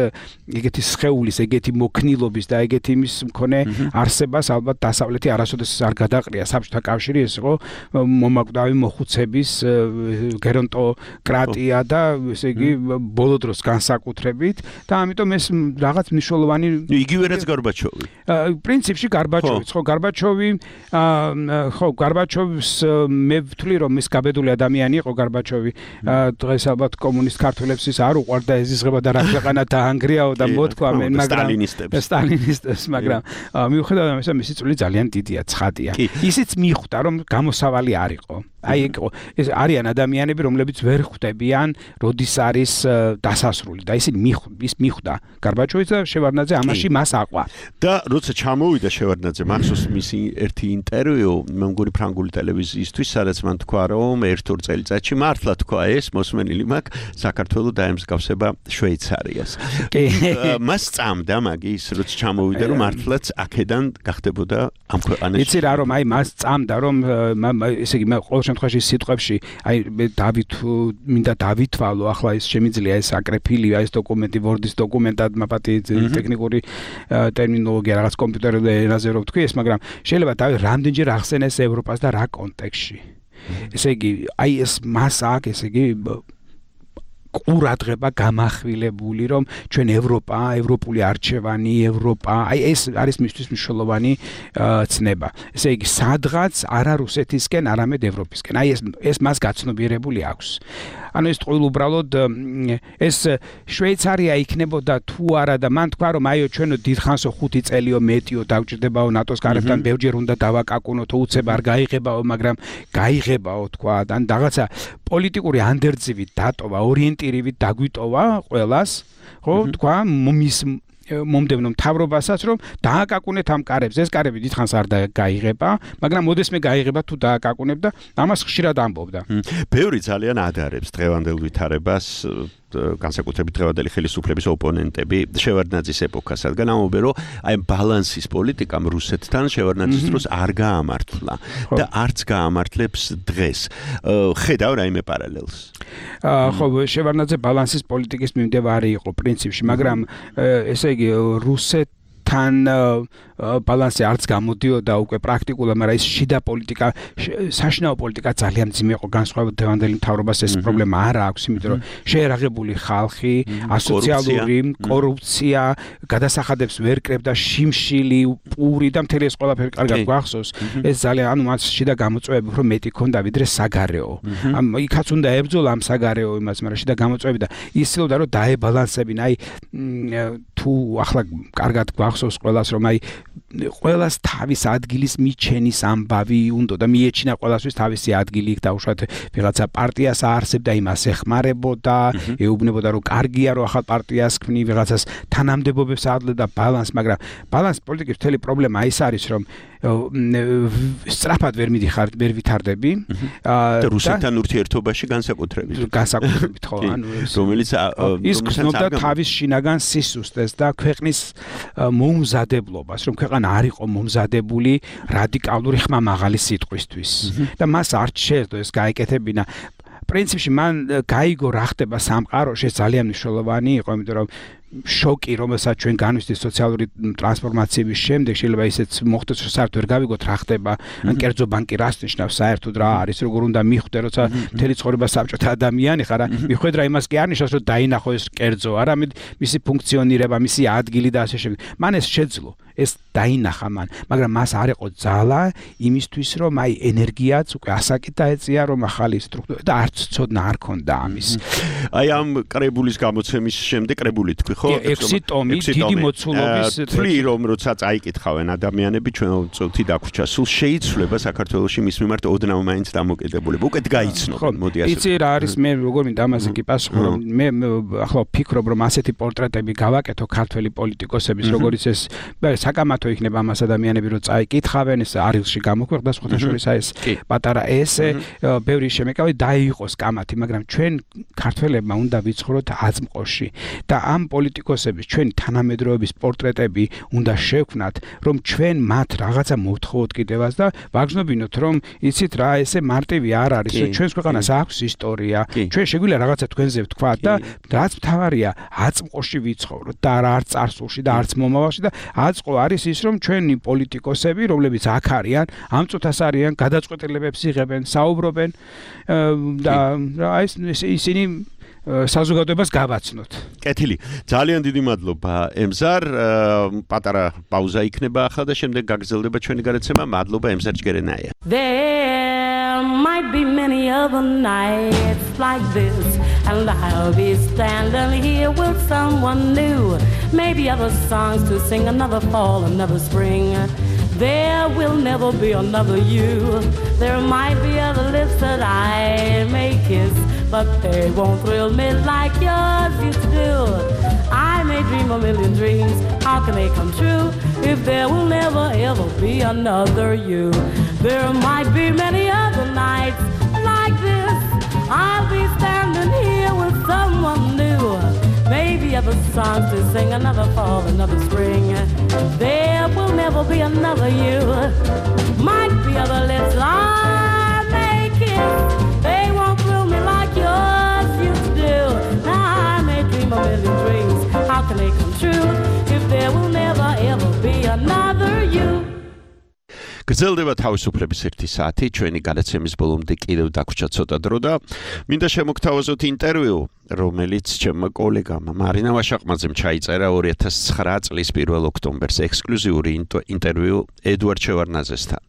ეგეთი სხეულის, ეგეთი მოქნილობის და ეგეთი იმის მქონე არსებას ალბათ დასავლეთი არასოდეს არ გადაყრია. საბჭოთა კავშირი ეს იყო მომაკვდავი მოხუცების გერონტოკრატია და ესე იგი ბოლო დროს განსაკუთრებით და ამიტომ ეს რაღაც მნიშვნელოვანი იგივე რაც გარბაჩოვი. პრინციპში გარბაჩოვიც, ხო, გარბაჩოვი ხო, გარბაჩოვს მე ვთვლი, რომ ის გაბედული ადამიანი იყო გარბაჩოვი. დღეს ალბათ კომუნისტ ქართველებს ის არ უყვარდა ეზიზღება და რა ქვეყანა დაანგრიაო და მოთქვა მე, მაგრამ სტალინისტებს, მაგრამ მიუხედავად ამისა, მისი წვლილი ძალიან დიდია, ცხადია. ისიც მიხვდა, რომ გამოსავალი არ იყო. აი ეს არიან ადამიანები, რომლებიც ვერ ხვდებიან, როდის არის დასასრული და ისინი ის მიხვდა გარბაჩოვიც და შევარდნაძე ამაში მას აყვა. და როცა ჩამოვიდა შევარდნაძე, მახსოვს მისი ერთი ინტერვიუ, მე მგონი ფრანგული ტელევიზიისთვის, სადაც მან თქვა, რომ ერთ-ორ წელიწადში მართლა თქვა ეს მოსმენილი მაქვს საქართველოს დაემსგავსება შვეიცარიას. მას წამდა მაგის, როცა ჩამოვიდა, რომ მართლაც აქედან გახდებოდა ამ ქვეყანაში. იცი რა, რომ აი მას წამდა, რომ ესე იგი ყოველ შემთხვევაში სიტყვებში, აი დავით მინდა დავითვალო, ახლა ის შემიძლია ეს აკრეფილია ეს დოკუმენტი ვორდის დოკუმენტად, მაპატი ტექნიკური ტერმინოლოგია, რაღაც კომპიუტერულ ენაზე რო ვთქვი ეს, მაგრამ შეიძლება დავით რამდენჯერ ახსენეს ევროპას და რა კონტექსტში. ესე იგი, აი ეს მას აქვს, ესე იგი ყურადღება გამახვილებული, რომ ჩვენ ევროპა, ევროპული არჩევანი, ევროპა, აი ეს არის მისთვის მნიშვნელოვანი ცნება. ესე იგი, სადღაც არა რუსეთისკენ, არამედ ევროპისკენ. აი ეს ეს მას გაცნობიერებული აქვს. ანუ ეს ტყუილ უბრალოდ ეს შვეიცარია იქნებოდა თუ არა და მან თქვა რომ აიო ჩვენო დიდხანსო ხუთი წელიო მეტიო დავჭირდებაო ნატოს კარებთან ბევრჯერ უნდა დავაკაკუნოთ უცებ არ გაიღებაო მაგრამ გაიღებაო თქვა ან რაღაცა პოლიტიკური ანდერძივით დატოვა ორიენტირებით დაგვიტოვა ყველას ხო თქვა მის მომდევნო მთავრობასაც რომ დააკაკუნეთ ამ კარებს ეს კარები დიდხანს არ გაიღება მაგრამ მოდესმე გაიღება თუ დააკაკუნებ და ამას ხშირად ამბობდა ბევრი ძალიან ადარებს დღევანდელ ვითარებას განსაკუთრებით დღევანდელი ხელისუფლების ოპონენტები შევარდნაძის ეპოქას რადგან ამბობენ რომ აი ბალანსის პოლიტიკამ რუსეთთან შევარდნაძის დროს არ გაამართლა და არც გაამართლებს დღეს ხედავ რაიმე პარალელს ხო შევარდნაძე ბალანსის პოლიტიკის მიმდევარი იყო პრინციპში მაგრამ ესე იგი რუსეთთან ბალანსი არც გამოდიოდა უკვე პრაქტიკულად, მაგრამ ის შიდა პოლიტიკა, საშინაო პოლიტიკა ძალიან ძიმე იყო განსხვავებით დღევანდელი მთავრობას ეს პრობლემა არ აქვს, იმიტომ რომ შეერაღებული ხალხი, ასოციალური კორუფცია, გადასახადებს ვერ კრებდა შიმშილი, პური და მთელი ეს ყველაფერი კარგად გვახსოვს. ეს ძალიან ანუ მას შიდა გამოწვევები უფრო მეტი ქონდა ვიდრე საგარეო. ამ იქაც უნდა ებრძოლა ამ საგარეო იმას, მაგრამ შიდა გამოწვევები და ისწრებდა რომ დაებალანსებინა. აი თუ ახლა კარგად გვახსოვს ყველას რომ აი ყველას თავის ადგილის მიჩენის ამბავი უნდა და მიეჩინა ყველასთვის თავისი ადგილი იქ დაუშვათ ვიღაცა პარტიას აარსებდა იმას ეხმარებოდა ეუბნებოდა რომ კარგია რომ ახალ პარტიას ქმნი ვიღაცას თანამდებობებს აძლევდა ბალანს მაგრამ ბალანს პოლიტიკის მთელი პრობლემა ის არის რომ სწრაფად ვერ მიდიხარ ვერ ვითარდები და რუსეთთან ურთიერთობაში განსაკუთრებით განსაკუთრებით ხო ანუ რომელიც ის გზნობდა თავის შინაგან სისუსტეს და ქვეყნის მოუმზადებლობას რომ ქვეყანა არ იყო მომზადებული რადიკალური ხმამაღალი სიტყვისთვის და მას არ შეეძლო ეს გაეკეთებინა პრინციპში მან გაიგო რა ხდება სამყაროში ძალიან მნიშვნელოვანი იყო იმიტომ რომ შოკი რომელსაც ჩვენ განვისდით სოციალური ტრანსფორმაციების შემდეგ შეიძლება ისეც მოხდეს რომ საერთოდ ვერ გავიგოთ რა ხდება ან კერძო ბანკი რას ნიშნავს საერთოდ რა არის როგორ უნდა მიხვდე როცა მთელი ცხოვრება საბჭოთა ადამიანი ხარ მიხვედრა იმას კი არ ნიშნავს რომ დაინახო ეს კერძო არამედ მისი ფუნქციონირება მისი ადგილი და ასე შემდეგ მან ეს შეძლო ეს დაინახა მან მაგრამ მას არ იყო ძალა იმისთვის რომ აი ენერგიაც უკვე ასაკით დაეწია რომ ახალი სტრუქტურა და არც ცოდნა არ ქონდა ამის აი ამ კრებულის გამოცემის შემდეგ კრებული თქვი ხო ექვსი ტომი დიდი მოცულობის თვლი რომ როცა წაიკითხავენ ადამიანები ჩვენ წუთი დაგვრჩა სულ შეიცვლება საქართველოში მის მიმართ ოდნავ მაინც დამოკიდებულება უკეთ გაიცნობენ მოდი ასე იცი რა არის მე როგორ მინდა ამაზე კი პასუხი რომ მე ახლა ვფიქრობ რომ ასეთი პორტრეტები გავაკეთო ქართველი პოლიტიკოსების როგორიც ეს საკამათო იქნება ამას ადამიანები რომ წაიკითხავენ ეს არილში გამოქვეყნდა სხვათა შორის აი ეს პატარა ესე ბევრი შემეკავი დაიღოს კამათი მაგრამ ჩვენ ქართველებმა უნდა ვიცხოვროთ აზმყოში და ამ პოლიტიკოსების ჩვენი თანამედროვეების პორტრეტები უნდა შევქმნათ რომ ჩვენ მათ რაღაცა მოვთხოვოთ კიდევაც და ვაგრძნობინოთ რომ იცით რა ესე მარტივი არ არის რომ ჩვენს ქვეყანას აქვს ისტორია ჩვენ შეგვიძლია რაღაცა თქვენზე ვთქვათ და რაც მთავარია აწმყოში ვიცხოვროთ და არა არც წარსულში და არც მომავალში და აწყო არის ის რომ ჩვენი პოლიტიკოსები რომლებიც აქ არიან ამ წუთას არიან გადაწყვეტილებებს იღებენ საუბრობენ და აი ეს ისინი საზოგადოებას გავაცნოთ. კეთილი. ძალიან დიდი მადლობა ემზარ. პატარა პაუზა იქნება ახლა და შემდეგ გაგრძელდება ჩვენი გადაცემა. მადლობა ემზარ ჯგერენაია. There might be many other nights like this and I'll be standing here with someone new. Maybe other songs to sing, another fall, another spring. There will never be another you. There might be other lips that I may kiss, but they won't thrill me like yours used to do. I may dream a million dreams, how can they come true if there will never ever be another you? There might be many other nights like this. I'll be standing here with someone new. Maybe other songs to sing, another fall, another spring. There will never be another you. Might be other lips I may kiss. They won't thrill me like yours used to do. Now I may dream a million dreams. How can they come true if there will never ever be another you? გრძელდება თავისუფლების ერთი საათი ჩვენი გადაცემის ბოლომდე კიდევ დაგვრჩა ცოტა დრო და მინდა შემოგთავაზოთ ინტერვიუ რომელიც ჩემმა კოლეგამ მარინა ვაშაყმაძემ ჩაიწერა ორი ათას ცხრა წლის პირველ ოქტომბერს ექსკლუზიური ინტერვიუ ედუარდ შევარდნაძესთან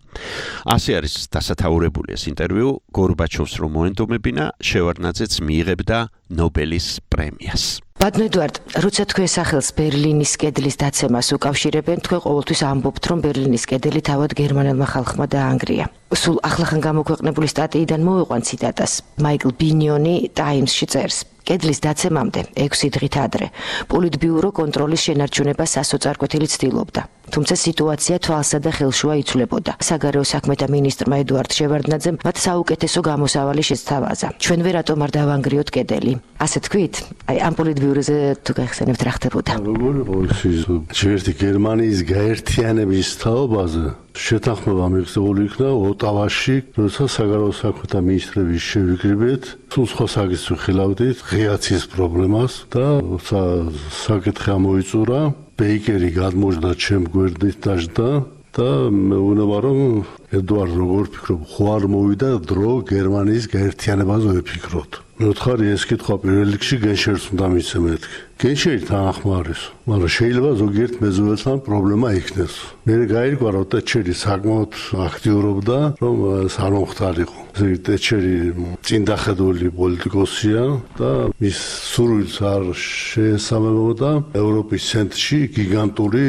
ასე არის დასათაურებული ეს ინტერვიუ გორბაჩოვს რომ მოენდომებინა, შევარდნაძეც მიიღებდა ნობელის პრემიას. ბატონო ედუარდ, როცა თქვენ სახელს ბერლინის კედლის დაცემას უკავშირებენ, თქვენ ყოველთვის ამბობთ, რომ ბერლინის კედელი თავად გერმანელმა ხალხმა დაანგრია. სულ ახლახან გამოქვეყნებული სტატიიდან მოვიყვან ციტატას. მაიკლ ბინიონი ტაიმსში წერს: კედლის დაცემამდე ექვსი დღით ადრე პოლიტბიურო კონტროლის შენარჩუნებას სასოწარკვეთილი ცდილობდა. თუმცა სიტუაცია თვალსა და ხელშუა იცვლებოდა. საგარეო საქმეთა მინისტრმა ედუარდ შევარდნაძემ მათ საუკეთესო გამოსავალი შესთავაზა. ჩვენ ვერ რატომ არ დავანგრიოთ კედელი? ასე თქვით? აი ამ პოლიტბიუროზე თუ გახსენებთ რა ხდებოდა? როგორი პოლიციის ჯერტი გერმანიის გაერთიანების თაობაზე შეთანხმება მიღწეული იქნა ოტავაში, როცა საგარეო საქმეთა მინისტრების შევიკრიბეთ, სულ სხვა საკითხს ვიხილავდით, ღიაცის პრობლემას და როცა საკითხი ამოიწურა, ბეიკერი გადმოჯდა ჩემ გვერდით დაждდა და მეუბნება რომ ედუარდ როგორ ფიქრობ, ხო არ მოვიდა დრო გერმანიის გაერთიანებაზე ვიფიქროთ. მე ვთხარი ეს კითხვა პირველ რიგში გენშერს უნდა მიცე მეთქი. გენშერი თანახმა არის, მაგრამ შეიძლება ზოგიერთ მეზობელთან პრობლემა იქნეს. მე გაირკვა რომ ტეჩერი საკმაოდ აქტიურობდა, რომ ეს არ მომხდარიყო. ტეჩერი წინდახედული პოლიტიკოსია და მის სურვილს არ შეესაბამებოდა ევროპის ცენტრში გიგანტური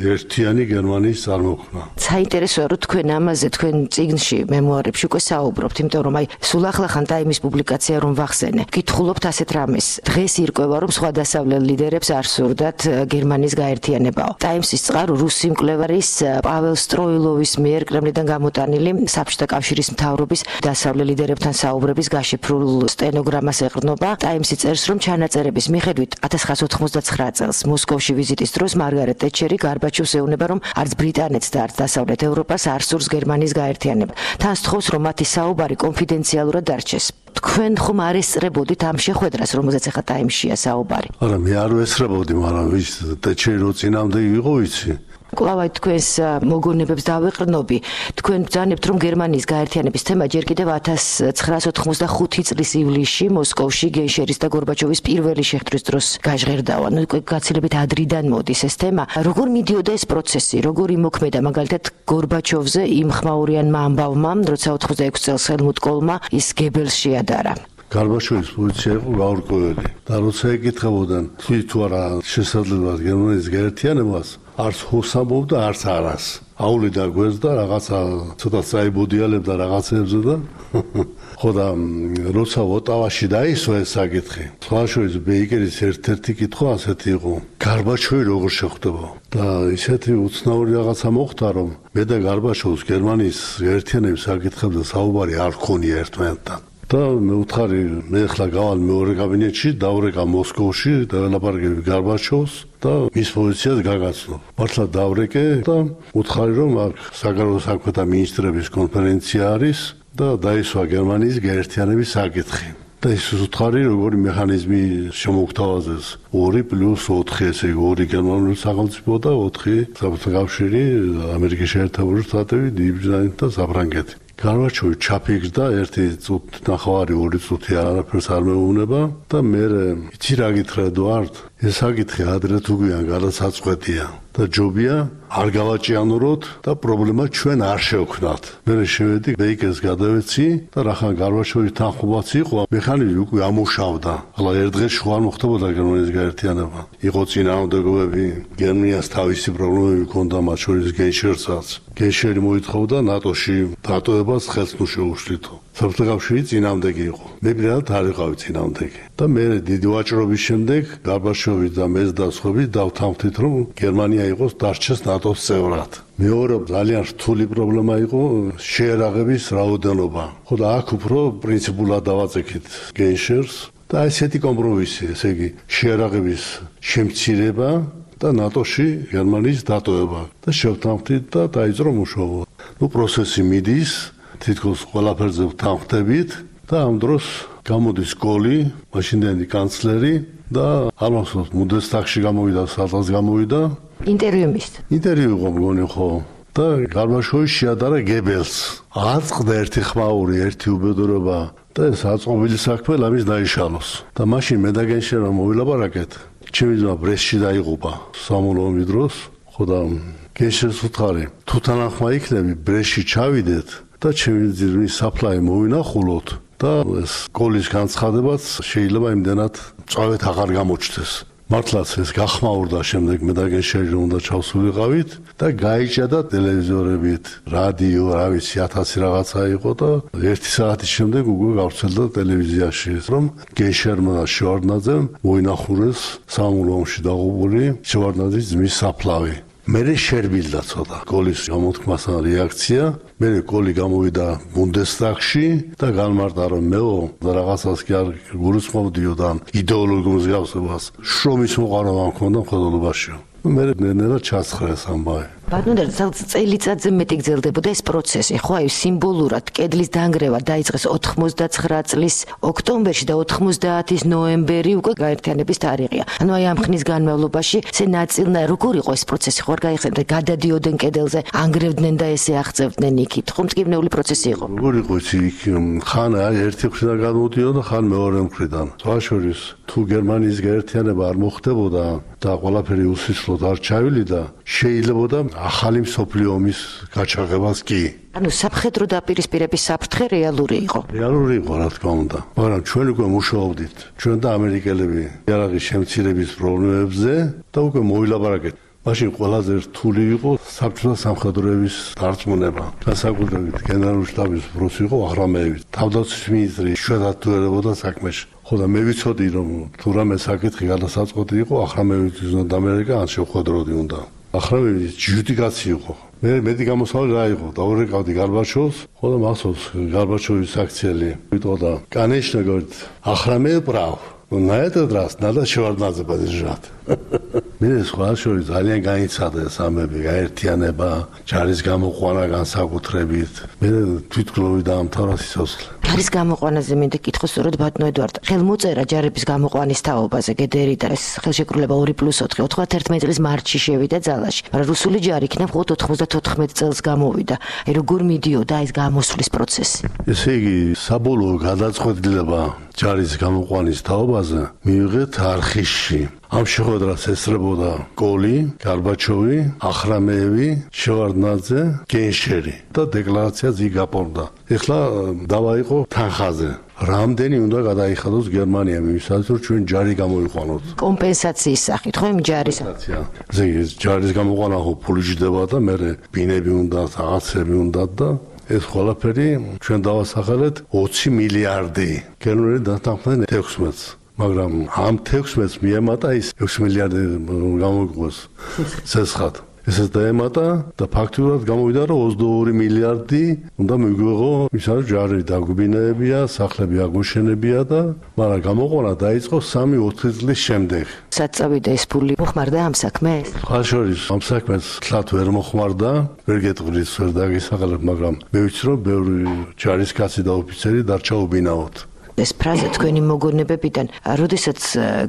ერთიანი გერმანიის წარმოქმნა. საინტერესოა რომ თქვენ ამაზე თქვენ წიგნში მემუარებში უკვე საუბრობთ, იმიტომ რომ აი სულ ახლახან ტაიმის პუბლიკაცია რომ ვახსენე. გითხულობთ ასეთ რამეს. დღეს ირკვევა რომ სხვა დასავლელ ლიდერებს არ სურდათ გერმანიის გაერთიანებაო. ტაიმსის წყარო რუსი მკვლევარის პაվել სტროილოვის მიერ კრემლიდან გამოტანილი საბჭოთა კავშირის მთავრობის დასავლელ ლიდერებთან საუბრების გაშიფრულ სტენოგრამას ეყრდნობა. ტაიმსი წერს რომ ჩანაწერების მიხედვით ათას ცხრაას ოთხმოცდაცხრა წელს მოსკოვში ვიზიტის დროს მარგარეტ ტეტჩერი გარბაჩოვს ეუბნება რომ არც ბრიტანეთს და არც დასავლეთ ევროპას არ სურს გერმანიის გაერთიანება. თან სთხოვს რომ მათი საუბარი კონფიდენციალურად დარჩეს. თქვენ ხომ არ ესწრებოდით ამ შეხვედრას, რომელზეც ახლა ტაიმშია საუბარი? არა, მე არ ვესწრებოდი, მაგრამ ვის ტეჩერი რო წინამდე იყო ვიცი. კლავაი თქვენს მოგონებებს დავეყრდნობი. თქვენ ბრძანებთ რომ გერმანიის გაერთიანების თემა ჯერ კიდევ ათას ცხრაას ოთხმოცდახუთი წლის ივლისში მოსკოვში გენშერის და გორბაჩოვის პირველი შეხვედრის დროს გაჟღერდავა. ნუ გაცილებით ადრიდან მოდის ეს თემა. როგორ მიდიოდა ეს პროცესი? როგორ იმოქმედა მაგალითად გორბაჩოვზე იმ ხმაურიანმა ამბავმა, როცა ოთხმოცდაექვსი წელს ჰელმუტ კოლმა ის გებელს შეადარა? გარბაჩოვის პოზიცია იყო გაურკვეველი და როცა ეკითხებოდნენ თუ არა შესაძლებლად გერმანიის გაერთიანებას, არც ჰოსამბობდა, არც არას. აულიდა გვერდს და რაღაცა ცოტა წაიბოდიალებდა რაღაცებზე და ხო და როცა ოტავაში დაისვა ეს საკითხი, სხვაშორის ბეიკერის ერთ-ერთი კითხვა ასეთი იყო: გარბაჩოვი როგორ შეხვდება? და ისეთი უცნაური რაღაცა მოხდა, რომ მე და გარბაჩოვს გერმანიის გაერთიანების საკითხებზე საუბარი არ ქონია ერთმანეთთან. და მე ვთხარი, მე ახლა გავალ მეორე კაბინეტში, დავრეკა მოსკოვში და ველაპარაკები გარბაჩოვს და მის პოზიციას გაგაცნობ. მართლა დავრეკე და ვთხარი, რომ აქ საგარეო საქმეთა მინისტრების კონფერენცია არის და დაისვა გერმანიის გაერთიანების საკითხი. და ის ვთხარი, როგორი მექანიზმი შემოგთავაზეს ორი პლუს ოთხი, ესე იგი ორი გერმანული სახელმწიფო და ოთხი საბჭოთა კავშირი, ამერიკის შეერთებული შტატები, დიდი ბრიტანეთი და საფრანგეთი. გარბაჩოვი ჩაფიქრდა ერთი წუთი ნახევარი ორი წუთი არაფერს არ მეუბნება და მე იცი რა გითხრა ედუარდ, ეს საკითხი ადრე თუ გვიან გადასაწყვეტია და ჯობია არ გავაჭიანუროთ და პრობლემა ჩვენ არ შევქნათ. მე შევედი ბეიკერს გადავეცი და რახან გარბაჩოვის თანხმობაც იყო, მექანიზმი უკვე ამუშავდა. ახლა ერთ დღეში ხო არ მოხდებოდა გერმანიის გაერთიანება. იყო წინააღმდეგობები, გერმანიას თავისი პრობლემები ჰქონდა, მათ შორის გენშერსაც. გენშერი მოითხოვდა ნატოში დატოვებას ხელს ნუ შეუშლითო. საბჭოთა კავშირი წინააღმდეგი იყო. მე პირადად არ ვიყავი წინააღმდეგი. და მე დიდი ვაჭრობის შემდეგ გარბაჩოვი და მე და სხვები დავთანხმდით, რომ გერმანია იყოს დარჩეს ნატოს წევრად. მეორე ძალიან რთული პრობლემა იყო შეერაღების რაოდენობა. ხო და აქ უფრო პრინციპულად დავაწექით გენშერს და ესეთი კომპრომისი, ესე იგი შეერაღების შემცირება და ნატოში გერმანიის დატოვება და შევთანხმდით და დაიწყო მუშაობა. ნუ პროცესი მიდის, თითქოს ყველაფერზე ვთანხმდებით და ამ დროს გამოდის კოლი, მაშინდელი კანცლერი და არ მახსოვს ბუნდესტაგში გამოვიდა, სადღაც გამოვიდა. ინტერვიუ მისცა. ინტერვიუ იყო მგონი ხო და გარბაჩოვი შეადარა გებელს. აწყდა ერთი ხმაური, ერთი უბედურება და ეს აწყობილი საქმე ლამის დაიშალოს. და მაშინ მე და გენშერმა მოვილაპარაკეთ. ჩემი ძმა ბრესტში დაიღუპა სამულოვი დროს, ხო და გეშეს უთხარი თუ თანახმა იქნები ბრეში ჩავიდეთ და ჩემი ძირმის საფლაი მოვინახულოთ და ეს გოლის განცხადებაც შეიძლება იმდენად წავეთ აღარ გამოჩნდეს. მართლაც ეს გახმაურდა შემდეგ მე და გეშერი უნდა ჩავსულიყავით და გაიჭადა ტელევიზორებით, რადიო, რა ვიცი, ათასი რაღაცა იყო და ერთი საათის შემდეგ უკვე გავრცელდა ტელევიზიაში, რომ გეშერმა და შევარდნაძემ მოინახულეს სამამულო ომში დაღუპული შევარდნაძის ძმის საფლავი. მე შერბილდა ცოტა გოლის გამოთქმასთან რეაქცია, მე გოლი გამოვიდა ბუნდესტაგში და განმარტა რომ მეო და რაღაცას კი არ გულისხმობდიო და იდეოლოგიურ მსგავსებას შრომის მოყარავა მქონდა მხედველობაში. მე ნელა ჩასხრეს ამბავი. ბატონო, წელიწადზე მეტი გრძელდებოდა ეს პროცესი, ხო, აი სიმბოლურად კედლის დანგრევა დაიწყეს ოთხმოცდაცხრა წლის ოქტომბერში და ოთხმოცდაათის ნოემბერი უკვე გაერთიანების თარიღია. ანუ აი ამ ხნის განმავლობაში ესე ნაწილნა როგორ იყო ეს პროცესი, ხო არ გაიხსენდა, გადადიოდნენ კედელზე, ანგრევდნენ და ესე აღწევდნენ იქით, ხო მტკივნეული პროცესი იყო. როგორ იყო იცი, ხან აი ერთი მხრიდან გადმოდიოდა, ხან მეორე მხრიდან. თვალშორის თუ გერმანიის გაერთიანება არ მოხდებოდა და ყველაფერი უსისლოდ არ ჩავილიდა, შეიძლებოდა ახალი მსოფლიო ომის გაჩაღებას კი. ანუ სამხედრო დაპირისპირების საფრთხე რეალური იყო. რეალური იყო, რა თქმა უნდა. მაგრამ ჩვენ უკვე მუშაობდით, ჩვენ და ამერიკელები იარაღის შემცირების პრობლემებზე და უკვე მოვილაპარაკეთ. მაშინ ყველაზე რთული იყო საბჭოთა სამხედროების დარწმუნება. განსაკუთრებით გენერალური შტაბის პროცესი იყო ახრამეევი. თავდაცვის მინისტრი შვედად თუ ერებოდა საქმეში. ხო და მე ვიცოდი რომ თუ რამე საკითხი გადასაწყვეტი იყო ახრამეევის უნდა დამერეკა ან შევხვედროდი უნდა. ახრამეევის ჯუდიკაცი იყო. მე მეტი გამოსავალი რა იყო? დაურეკავდი გარბაჩოვს, ხო და მახსოვს გარბაჩოვის აქციელი ვიტყოდა კანეშნა говорит, ахрамеев прав. Ну на этот раз надо Шеварднадзе поддержать. მე სხვა შორის ძალიან გაიცადა ეს ამბები, გაერთიანება, ჯარის გამოყვანა განსაკუთრებით. მე თვითმკლავი დაამთავრა სიცოცხლე. ჯარის გამოყვანაზე მინდა კითხო სწორედ ბატონო ედვარდ. ხელმოწერა ჯარების გამოყვანის თაობაზე გედერი და ეს ხელშეკრულება ორი პლუს ოთხი ოცდაათერთმეტი წლის მარტში შევიდა ძალაში. მაგრამ რუსული ჯარი იქნა მხოლოდ ოთხმოცდათოთხმეტი წელს გამოვიდა. აი როგორ მიდიოდა ეს გამოსვლის პროცესი? ესე იგი საბოლოო გადაწყვეტილება ჯარის გამოყვანის თაობაზე მიიღეთ არხისში. ამ შეხვედრას ესწრებოდა გოლი, გარბაჩოვი, ახრამეევი, შევარდნაძე, გენშერი და დეკლარაციაც იქ გაპოვდა. ეხლა დავაიყო თანხაზე. რამდენი უნდა გადაიხადოს გერმანია მისათვის რომ ჩვენ ჯარი გამოიყვანოთ. კომპენსაციის სახით, ხო იმ ჯარის. ზეგი ჯარის გამოყვანა ხო ფული ჯდება და მე ბინები უნდა, რაღაცები უნდა და ეს ყველაფერი ჩვენ დავასახელეთ ოცი მილიარდი. გერმანელი დათანხმდნენ ექვსმეტს. მაგრამ ამ ექვსმეტს მიემატა ის ექვსი მილიარდი გამოიყვეს ცეცხლად. ესეც დაემატა და ფაქტურად გამოვიდა რომ ოცდაორი მილიარდი უნდა მიგვიღო ისაა ჯარი დაგვიბინებია, სახლები აგუშენებია და მაგრამ გამოყვანა დაიწყო სამი ოთხი წლის შემდეგ. საწავიდა ეს ფული მოხმარდა ამ საქმეს? სხვა შორის ამ საქმეს თლათ ვერ მოხმარდა, ვერ გეტყვით, ვერ დაგისახელებ, მაგრამ მე ვიცი რომ ბევრი ჯარისკაცი და ოფიცერი დარჩა უბინაოდ. ეს ფრაზა თქვენი მოგონებებიდან, როდესაც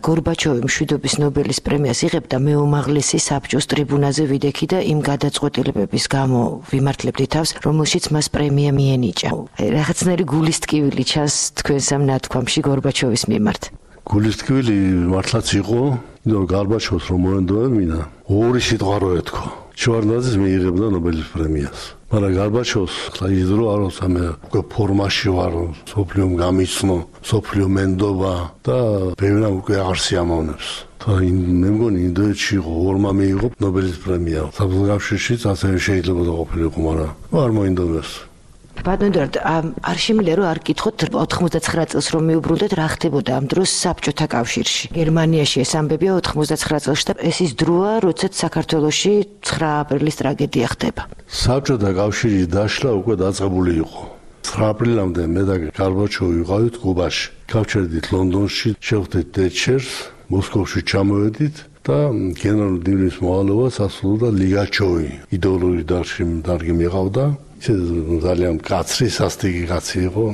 გორბაჩოვი მშვიდობის ნობელის პრემიას იღებდა, მე უმაღლესი საბჭოს ტრიბუნაზე ვიდექი და იმ გადაწყვეტილებების გამო ვიმართლებდი თავს, რომელშიც მას პრემია მიენიჭა. რაღაცნაირი გულის ტკივილი ჩანს თქვენს ამ ნათქვამში გორბაჩოვის მიმართ. გულის ტკივილი მართლაც იყო, რომ გორბაჩოვს რომ მოენდოებინა, ორი სიტყვა რო ეთქო. შევარდნაძეს მიიღებდა ნობელის პრემიას. მაგრამ გარბაჩოვს ხლა იზრო აროს ამე უკვე ფორმაში ვარ, სოფლიომ გამიცნო, სოფლიო მენდობა და ბევრმა უკვე აღარ სიამოვნებს. და მე მგონი ინდოეთში იყო ორმა მიიღო ნობელის პრემია. საბრძოლოებშიც ასევე შეიძლება ყოფილიყო, მაგრამ არ მოინდომეს. ბატონო ედვარდ, არ შემიძლია რომ არ გკითხოთ ოთხმოცდაცხრა წელს რომ მიუბრუნდეთ, რა ხდებოდა ამ დროს საბჭოთა კავშირში. გერმანიაში ეს ამბებია ოთხმოცდაცხრა წელს და ეს ის დროა, როდესაც საქართველოში ცხრა აპრილის ტრაგედია ხდება. საბჭოთა კავშირის დაშლა უკვე დაწყებული იყო. ცხრა აპრილამდე მე და გარბაჩოვი ვიყავით კუბაში. გავჩერდით ლონდონში, შევხვდით დეჩერს, მოსკოვში ჩამოვედით და გენერალურ დივიზიის მოვალეობას ასრულებდა ლიგაჩოვი. იდეოლოგიური დარგი დარგი მიყავდა. ძალიან კაცრი სასტიკი კაცი იყო,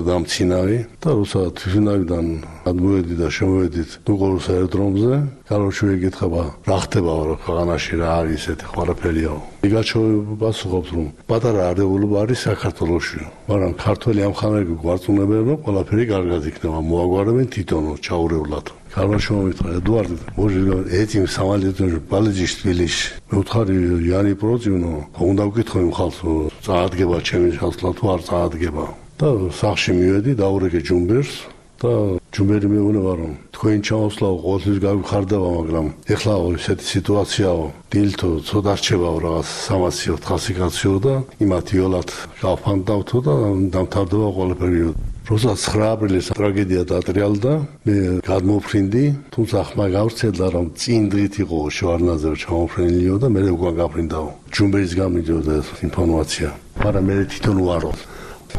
დამცინავი და როცა თვითნავიდან გადმოვედი და შემოვედით ნუყურის აეროდრომზე, გარბაჩოვი ეკითხება, რა ხდება ქვეყანაში, რა არის ესეთი ყველაფერია. ლიგაჩოვი პასუხობს, რომ პატარა არეულობა არის საქართველოში, მაგრამ ქართველი ამხანაგები გვარწმუნებენ, რომ ყველაფერი კარგად იქნება, მოაგვარებენ თვითონ ჩაურევლად. გარბაჩოვი მითხრა, ედვარდ, может, этим самолетом полетишь в Тбилиси. მე ვთხარი იანი პროძინო უნდა ვკითხო იმ ხალხს წაადგება ჩემი ხალხლა თუ არ წაადგება და სახში მივედი დაურეკე ჯუმბერს და ჯუმბერი მეუბნება რომ თქვენ ჩამოსვლაო ყოველთვის გავიხარდება მაგრამ ეხლა ესეთი სიტუაციაო დილთო ცოტა რჩებაო რაღაც სამაციო ოთხასი კაციო და იმათ იოლად გავფანდავთო და დამთავრდება ყველაფერი როცა ცხრა აპრილის ტრაგედია დატრიალდა მე გადმოფრინდი თუმცა ხმა გავრცელდა რომ წინ დღით იყო შევარნაძე ჩამოფრენილიო და მე უკვე გაფრინდაო ჯუმბერის გამიდიოდა ეს ინფორმაცია მაგრამ მე თვითონ ვარო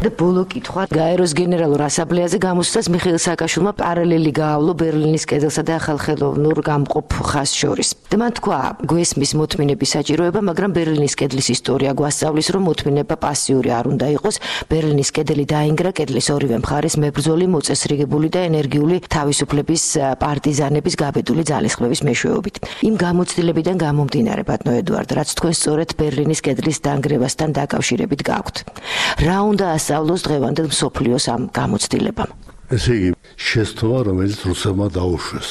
და ბოლო კითხვა გაეროს გენერალურ ასამბლეაზე გამოსვლას მიხეილ სააკაშვილმა პარალელი გაავლო ბერლინის კედელსა და ახალხელოვნურ გამყოფ ხაზს შორის. და მან თქვა, გვესმის მოთმინების საჭიროება, მაგრამ ბერლინის კედლის ისტორია გვასწავლის, რომ მოთმინება პასიური არ უნდა იყოს. ბერლინის კედელი დაინგრა კედლის ორივე მხარეს მებრძოლი, მოწესრიგებული და ენერგიული თავისუფლების პარტიზანების გაბედული ძალისხმევის მეშვეობით. იმ გამოცდილებიდან გამომდინარე, ბატონო ედუარდ, რაც თქვენ სწორედ ბერლინის კედლის დანგრევასთან დაკავშირებით გაქვთ. რა უნდა სწავლოს დღევანდელ მსოფლიოს ამ გამოცდილებამ. ესე იგი, შეცდომა, რომელიც რუსებმა დაუშვეს.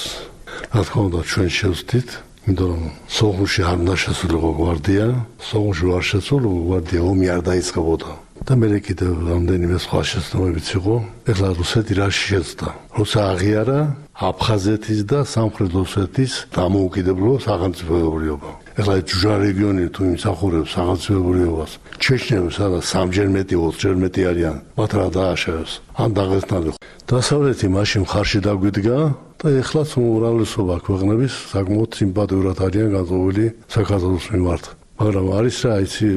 რა თქმა უნდა, ჩვენ შევსდით, იმიტომ რომ სოხუმში არ უნდა შესულიყო გვარდია, სოხუმში არ შესულიყო გვარდია, ომი არ დაიწყებოდა. და მე კიდევ რამდენიმე სხვა შეცდომებიც იყო. ეხლა რუსეთი რა შეცდა? როცა აღიარა აფხაზეთის და სამხრეთ ოსეთის დამოუკიდებელ სახელმწიფოებრიობა. ეხლა ჯუჟა რეგიონი თუ იმსახურებს სახელმწიფოებრიობას, ჩეჩნები სადაც სამჯერ მეტი, ოცჯერ მეტი არიან, მათ რა დააშევეს? ან დაღესტანი. დასავლეთი მაშინ მხარში დაგვიდგა და ეხლაც უმრავლესობა ქვეყნების საკმაოდ სიმპათიურად არიან განწყობილი საქართველოს მიმართ. მაგრამ არის რა იცი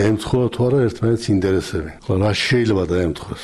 ემთხვევა თუ არა ერთმანეთის ინტერესები. ხო რა შეიძლება დაემთხვეს?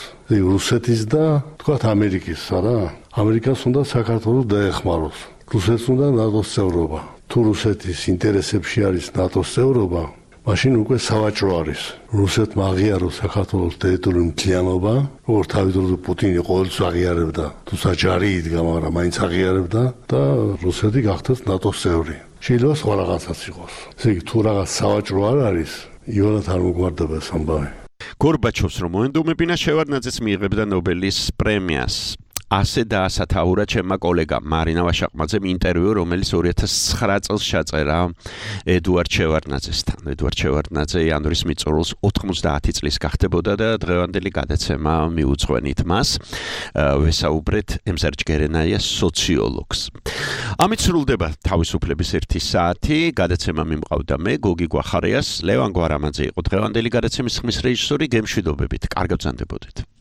რუსეთის და თქვათ ამერიკის არა? ამერიკას უნდა საქართველოს დაეხმაროს. რუსეთს უნდა ნატოს წევრობა. თუ რუსეთის ინტერესებში არის ნატოს წევრობა, მაშინ უკვე სავაჭრო არის. რუსეთმა აღიაროს საქართველოს ტერიტორიული მთლიანობა, როგორც თავიდანვე პუტინი ყოველთვის აღიარებდა, თუმცა ჯარი იდგა, მაგრამ მაინც აღიარებდა და რუსეთი გახდეს ნატოს წევრი. შეიძლება სხვა რაღაცაც იყოს. ესე იგი, თუ რაღაც სავაჭრო არ არის, იონად არ მოგვარდება ეს ამბავი. გორბაჩოვს რომ მოენდომებინა შევარდნაძეს მიიღებდა ნობელის პრემიას. ასე დაასათაურა ჩემმა კოლეგამ მარინა ვაშაყმაძემ ინტერვიუ, რომელიც ორი ათას ცხრა წელს ჩაწერა ედუარდ შევარდნაძესთან. ედუარდ შევარდნაძე იანვრის მიწურულს ოთხმოცდაათი წლის გახდებოდა და დღევანდელი გადაცემა მიუძღვენით მას. ვესაუბრეთ ემზარ ჯგერენაიას სოციოლოგს. ამით სრულდება თავისუფლების ერთი საათი. გადაცემა მიმყავდა მე, გოგი გვახარიას, ლევან გვარამაძე იყო დღევანდელი გადაცემის ხმის რეჟისორი. გემშვიდობებით, კარგად ბრძანდებოდეთ.